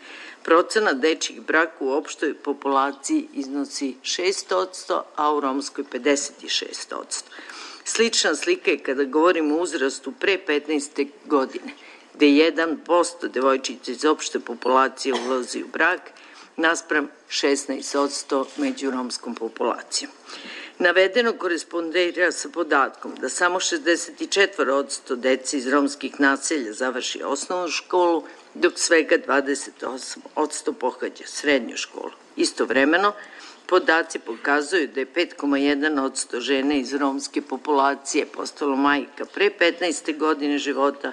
procenat dečjih braka u opštoj populaciji iznosi šest posto, a u romskoj pedeset šest posto. Slična slika je kada govorimo o uzrastu pre petnaeste godine, gde jedan posto devojčica iz opšte populacije ulazi u brak, naspram šesnaest posto među romskom populacijom. Navedeno korespondira sa podatkom da samo šezdeset četiri posto dece iz romskih naselja završi osnovnu školu, dok svega dvadeset osam posto pohađa srednju školu. Istovremeno, podaci pokazuju da je pet zarez jedan posto žena iz romske populacije postalo majka pre petnaeste godine života,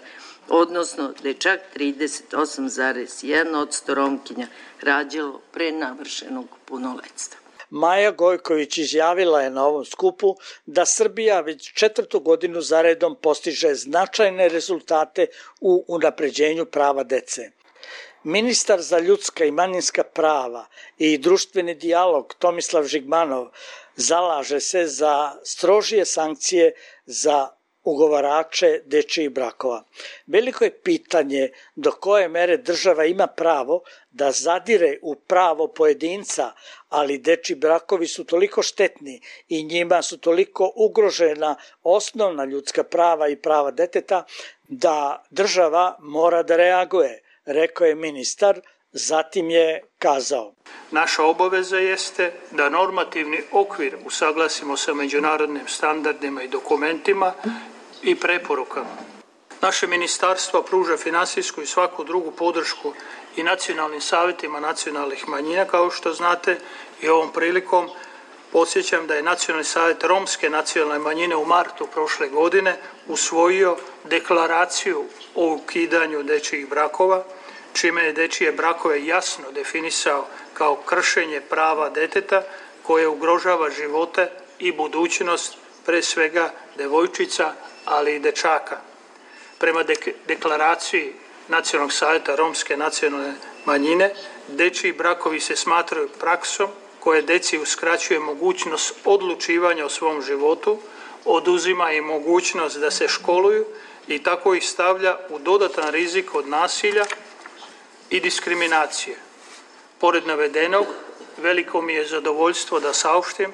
odnosno da je čak trideset osam zarez jedan posto Romkinja rađalo pre navršenog punoletstva. Maja Gojković izjavila je na ovom skupu da Srbija već četvrtu godinu zaredom postiže značajne rezultate u unapređenju prava dece. Ministar za ljudska i manjinska prava i društveni dijalog Tomislav Žigmanov zalaže se za strožije sankcije za ugovarače dečjih brakova. Veliko je pitanje do koje mere država ima pravo da zadire u pravo pojedinca, ali dečji brakovi su toliko štetni i njima su toliko ugrožena osnovna ljudska prava i prava deteta da država mora da reaguje, rekao je ministar. Zatim je kazao: naša obaveza jeste da normativni okvir usaglasimo sa međunarodnim standardima i dokumentima i preporukama. Naše ministarstvo pruža finansijsku i svaku drugu podršku i nacionalnim savetima nacionalnih manjina, kao što znate, i ovom prilikom podsjećam da je Nacionalni savet romske nacionalne manjine u martu prošle godine usvojio deklaraciju o ukidanju dečjih brakova, čime je dečije brakove jasno definisao kao kršenje prava deteta koje ugrožava živote i budućnost pre svega devojčica, ali i dečaka. Prema dek- deklaraciji Nacionalnog savjeta romske nacionalne manjine, dečiji brakovi se smatraju praksom koje deci uskraćuje mogućnost odlučivanja o svom životu, oduzima im mogućnost da se školuju i tako ih stavlja u dodatan rizik od nasilja i diskriminacije. Pored navedenog, veliko mi je zadovoljstvo da saopštim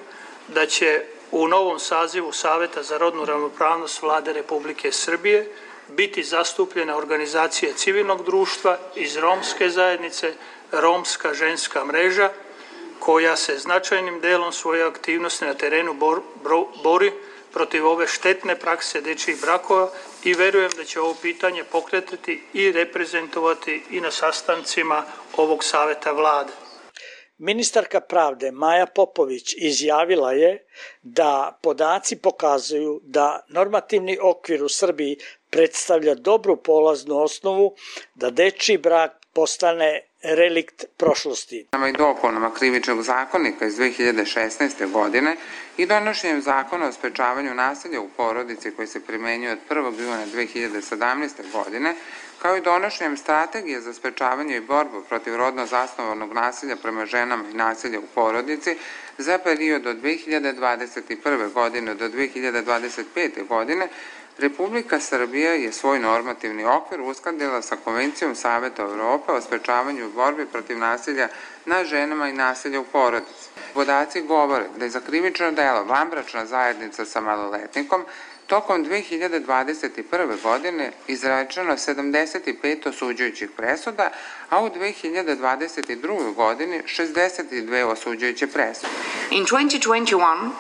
da će u novom sazivu Saveta za rodnu ravnopravnost Vlade Republike Srbije biti zastupljene organizacije civilnog društva iz romske zajednice, Romska ženska mreža, koja se značajnim delom svoje aktivnosti na terenu bor, bro, bori protiv ove štetne prakse dečjih brakova i verujem da će ovo pitanje pokretati i reprezentovati i na sastancima ovog Saveta Vlade. Ministarka pravde Maja Popović izjavila je da podaci pokazuju da normativni okvir u Srbiji predstavlja dobru polaznu osnovu da dečji brak postane relikt prošlosti. I dopunama Krivičnog zakonika iz dve hiljade šesnaeste. godine i donošenjem zakona o sprečavanju nasilja u porodici koji se primenjuje od prvog juna dve hiljade sedamnaeste. godine, kao i donošenjem strategije za sprečavanje i borbu protiv rodno zasnovanog nasilja prema ženama i nasilja u porodici za period od dve hiljade dvadeset prve. godine do dve hiljade dvadeset pete. godine, Republika Srbija je svoj normativni okvir uskladila sa Konvencijom Saveta Evrope o sprečavanju i borbi protiv nasilja nad ženama i nasilja u porodici. Podaci govore da je za krivično delo vanbračna zajednica sa maloletnikom tokom dve hiljade dvadeset prve. godine izrečeno sedamdeset pet osuđujućih presuda, a u dve hiljade dvadeset druge. godini šezdeset dve osuđujuće presude. In twenty twenty-one,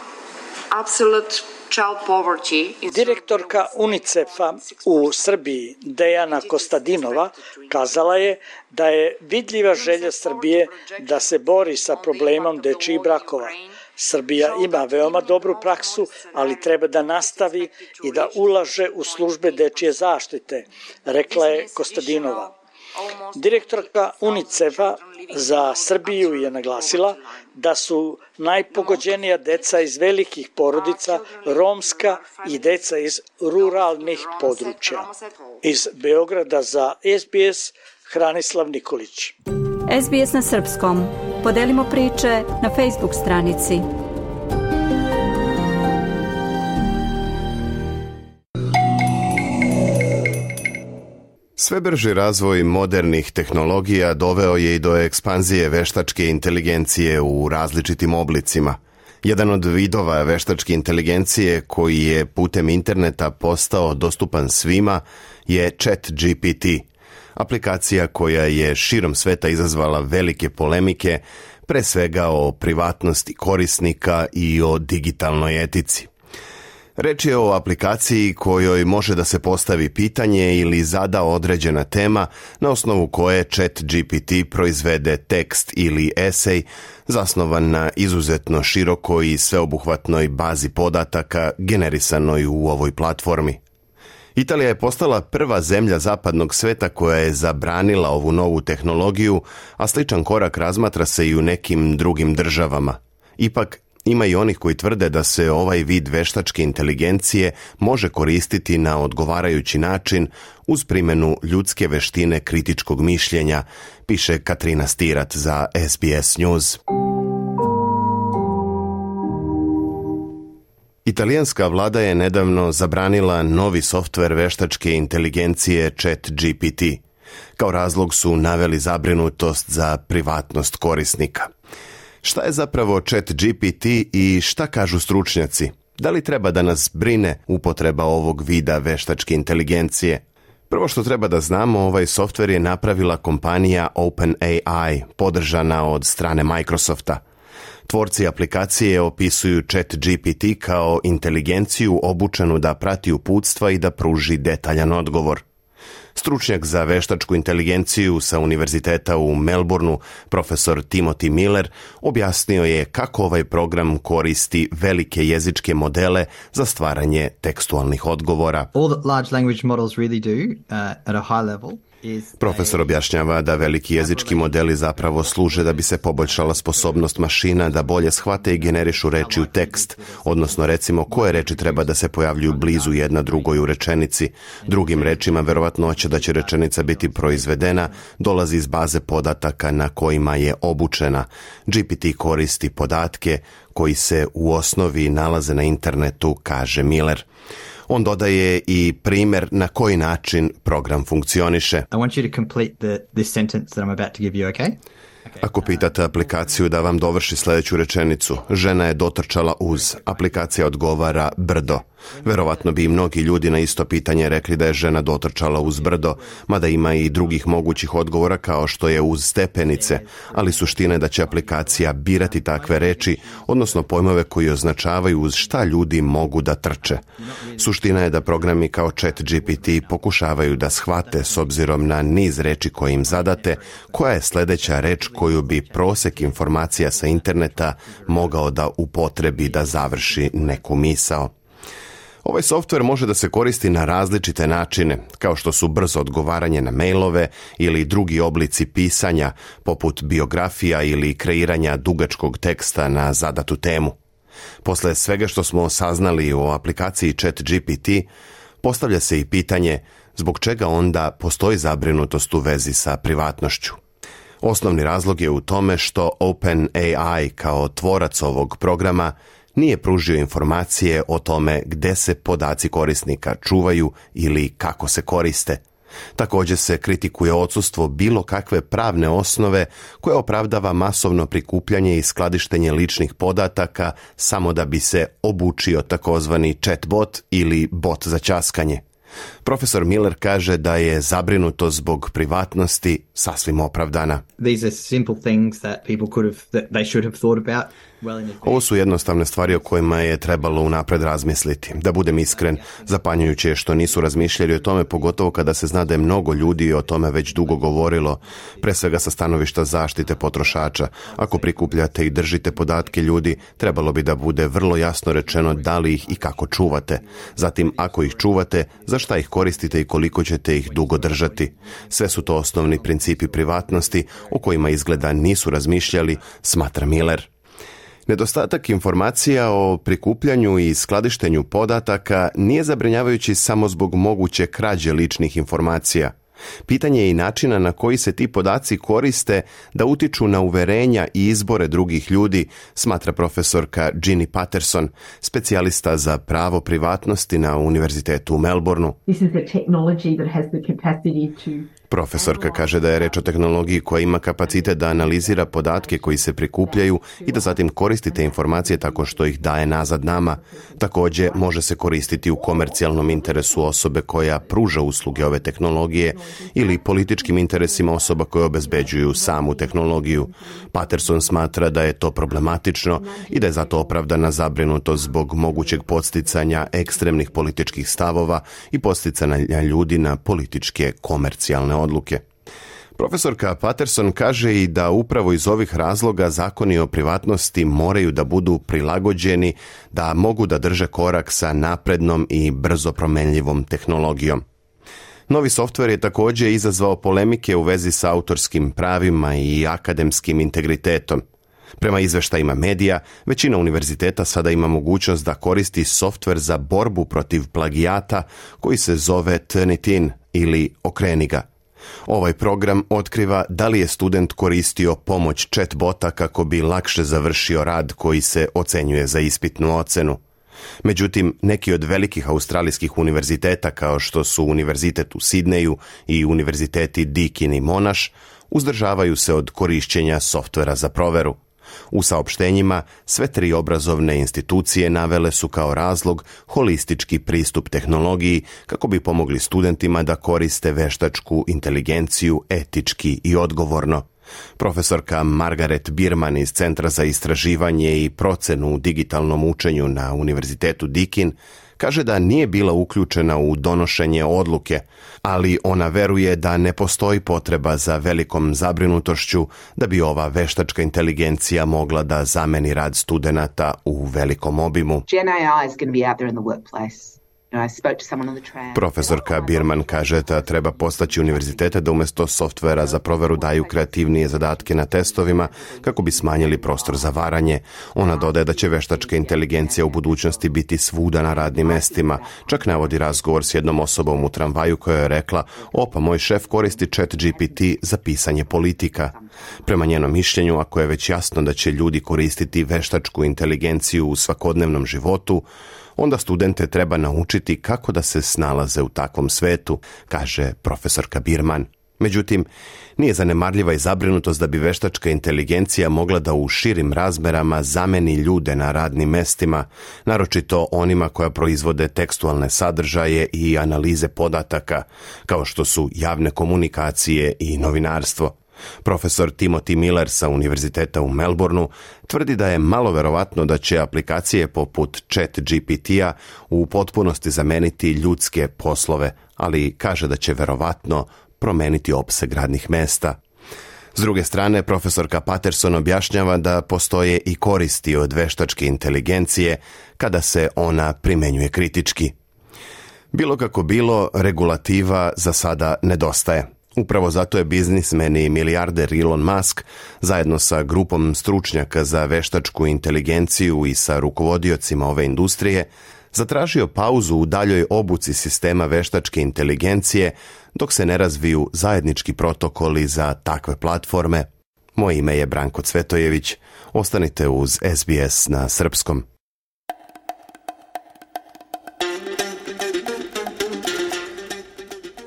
absolute Direktorka UNICEF-a u Srbiji Dejana Kostadinova kazala je da je vidljiva želja Srbije da se bori sa problemom dečjih brakova. Srbija ima veoma dobru praksu, ali treba da nastavi i da ulaže u službe dečje zaštite, rekla je Kostadinova. Direktorka UNICEF-a za Srbiju je naglasila da su najpogođenija deca iz velikih porodica, romska i deca iz ruralnih područja. Iz Beograda za S B S, Hranislav Nikolić. S B S na srpskom. Podelimo priče na Facebook stranici. Sve brži razvoj modernih tehnologija doveo je i do ekspanzije veštačke inteligencije u različitim oblicima. Jedan od vidova veštačke inteligencije koji je putem interneta postao dostupan svima je ChatGPT, aplikacija koja je širom sveta izazvala velike polemike, pre svega o privatnosti korisnika i o digitalnoj etici. Reč je o aplikaciji kojoj može da se postavi pitanje ili zada određena tema na osnovu koje ChatGPT proizvede tekst ili esej zasnovan na izuzetno širokoj i sveobuhvatnoj bazi podataka generisanoj u ovoj platformi. Italija je postala prva zemlja zapadnog sveta koja je zabranila ovu novu tehnologiju, a sličan korak razmatra se i u nekim drugim državama. Ipak, ima i onih koji tvrde da se ovaj vid veštačke inteligencije može koristiti na odgovarajući način uz primjenu ljudske veštine kritičkog mišljenja, piše Katrina Stirat za S B S News. Italijanska vlada je nedavno zabranila novi softver veštačke inteligencije ChatGPT. Kao razlog su naveli zabrinutost za privatnost korisnika. Šta je zapravo ChatGPT i šta kažu stručnjaci? Da li treba da nas brine upotreba ovog vida veštačke inteligencije? Prvo što treba da znamo, ovaj softver je napravila kompanija OpenAI, podržana od strane Microsofta. Tvorci aplikacije opisuju ChatGPT kao inteligenciju obučenu da prati uputstva i da pruži detaljan odgovor. Stručnjak za veštačku inteligenciju sa univerziteta u Melbourneu, profesor Timothy Miller, objasnio je kako ovaj program koristi velike jezičke modele za stvaranje tekstualnih odgovora. All that large language models really do uh, at a high level Profesor objašnjava da veliki jezički modeli zapravo služe da bi se poboljšala sposobnost mašina da bolje shvate i generišu reči u tekst, odnosno recimo koje reči treba da se pojavljuju blizu jedna drugoj u rečenici. Drugim rečima, verovatnoća da će rečenica biti proizvedena dolazi iz baze podataka na kojima je obučena. G P T koristi podatke koji se u osnovi nalaze na internetu, kaže Miller. On dodaje i primjer na koji način program funkcioniše. I want you to complete the, this sentence that I'm about to give you, okay? Ako pitate aplikaciju da vam dovrši sljedeću rečenicu, žena je dotrčala uz, aplikacija odgovara brdo. Verovatno bi i mnogi ljudi na isto pitanje rekli da je žena dotrčala uz brdo, mada ima i drugih mogućih odgovora kao što je uz stepenice, ali suština je da će aplikacija birati takve reči, odnosno pojmove koji označavaju uz šta ljudi mogu da trče. Suština je da programi kao Chat G P T pokušavaju da shvate, s obzirom na niz reči koje im zadate, koja je sljedeća reč koju bi prosek informacija sa interneta mogao da upotrebi da završi neku misao. Ovaj softver može da se koristi na različite načine, kao što su brzo odgovaranje na mailove ili drugi oblici pisanja, poput biografija ili kreiranja dugačkog teksta na zadatu temu. Posle svega što smo saznali o aplikaciji Chat G P T, postavlja se i pitanje zbog čega onda postoji zabrinutost u vezi sa privatnošću. Osnovni razlog je u tome što OpenAI kao tvorac ovog programa nije pružio informacije o tome gde se podaci korisnika čuvaju ili kako se koriste. Također se kritikuje odsustvo bilo kakve pravne osnove koja opravdava masovno prikupljanje i skladištenje ličnih podataka samo da bi se obučio takozvani chatbot ili bot za ćaskanje. Profesor Miller kaže da je zabrinuto zbog privatnosti sasvim opravdana. These are simple things that people could have, that they should have thought about. Ovo su jednostavne stvari o kojima je trebalo unapred razmisliti. Da budem iskren, zapanjujuće je što nisu razmišljali o tome, pogotovo kada se zna da je mnogo ljudi o tome već dugo govorilo, pre svega sa stanovišta zaštite potrošača. Ako prikupljate i držite podatke ljudi, trebalo bi da bude vrlo jasno rečeno da li ih i kako čuvate. Zatim, ako ih čuvate, za šta ih koristite i koliko ćete ih dugo držati. Sve su to osnovni principi privatnosti o kojima izgleda nisu razmišljali, smatra Miller. Nedostatak informacija o prikupljanju i skladištenju podataka nije zabrinjavajući samo zbog moguće krađe ličnih informacija. Pitanje je i načina na koji se ti podaci koriste da utiču na uverenja i izbore drugih ljudi, smatra profesorka Ginny Patterson, specijalista za pravo privatnosti na Univerzitetu u Melbourneu. This is a technology that has the capacity to Profesorka kaže da je reč o tehnologiji koja ima kapacitet da analizira podatke koji se prikupljaju i da zatim koristi te informacije tako što ih daje nazad nama. Također može se koristiti u komercijalnom interesu osobe koja pruža usluge ove tehnologije ili političkim interesima osoba koje obezbeđuju samu tehnologiju. Patterson smatra da je to problematično i da je zato opravdana zabrinutost zbog mogućeg podsticanja ekstremnih političkih stavova i podsticanja ljudi na političke komercijalne odluke. Profesorka Patterson kaže i da upravo iz ovih razloga zakoni o privatnosti moraju da budu prilagođeni, da mogu da drže korak sa naprednom i brzo promenljivom tehnologijom. Novi softver je također izazvao polemike u vezi sa autorskim pravima i akademskim integritetom. Prema izveštajima medija, većina univerziteta sada ima mogućnost da koristi softver za borbu protiv plagijata koji se zove Turnitin ili Okreni ga. Ovaj program otkriva da li je student koristio pomoć chatbota kako bi lakše završio rad koji se ocenjuje za ispitnu ocenu. Međutim, neki od velikih australijskih univerziteta kao što su Univerzitet u Sidneju i univerziteti Deakin i Monash uzdržavaju se od korišćenja softvera za proveru. U saopštenjima sve tri obrazovne institucije navele su kao razlog holistički pristup tehnologiji kako bi pomogli studentima da koriste veštačku inteligenciju etički i odgovorno. Profesorka Margaret Bierman iz Centra za istraživanje i procenu u digitalnom učenju na Univerzitetu Deakin kaže da nije bila uključena u donošenje odluke, ali ona veruje da ne postoji potreba za velikom zabrinutošću da bi ova veštačka inteligencija mogla da zameni rad studenata u velikom obimu. Gen A I is going to be out there in the workplace. Profesorka Birman kaže da treba postaći univerzitete da umjesto softvera za proveru daju kreativnije zadatke na testovima kako bi smanjili prostor za varanje. Ona dodaje da će veštačka inteligencija u budućnosti biti svuda na radnim mestima. Čak navodi razgovor s jednom osobom u tramvaju koja je rekla: opa, moj šef koristi Chat G P T za pisanje politika. Prema njenom mišljenju, ako je već jasno da će ljudi koristiti veštačku inteligenciju u svakodnevnom životu, onda studente treba naučiti kako da se snalaze u takvom svetu, kaže profesorka Birman. Međutim, nije zanemarljiva i zabrinutost da bi veštačka inteligencija mogla da u širim razmerama zameni ljude na radnim mestima, naročito onima koja proizvode tekstualne sadržaje i analize podataka, kao što su javne komunikacije i novinarstvo. Profesor Timothy Miller sa Univerziteta u Melbourneu tvrdi da je malo verovatno da će aplikacije poput Chat G P T-a u potpunosti zameniti ljudske poslove, ali kaže da će verovatno promeniti opseg radnih mesta. S druge strane, profesorka Patterson objašnjava da postoje i koristi od veštačke inteligencije kada se ona primenjuje kritički. Bilo kako bilo, regulativa za sada nedostaje. Upravo zato je biznismen i milijarder Elon Musk zajedno sa grupom stručnjaka za veštačku inteligenciju i sa rukovodiocima ove industrije zatražio pauzu u daljoj obuci sistema veštačke inteligencije dok se ne razviju zajednički protokoli za takve platforme. Moje ime je Branko Cvetojević. Ostanite uz S B S na srpskom.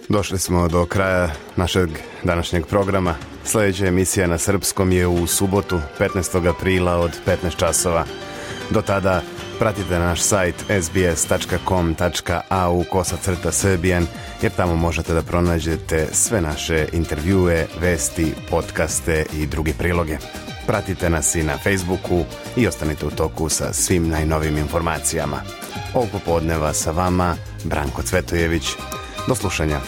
Došli smo do kraja našeg današnjeg programa. Sljedeća emisija na srpskom je u subotu, petnaestog aprila od petnaest časova. Do tada pratite naš sajt s b s tačka com tačka a u kosacrta srbijan, jer tamo možete da pronađete sve naše intervjue, vesti, podcaste i druge priloge. Pratite nas i na Facebooku i ostanite u toku sa svim najnovim informacijama. Ovog popodneva sa vama Branko Cvetojević. Do slušanja.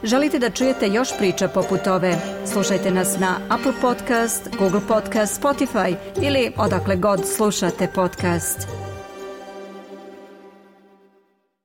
Želite da čujete još priča poput ove? Slušajte nas na Apple Podcast, Google Podcast, Spotify ili odakle god slušate podcast.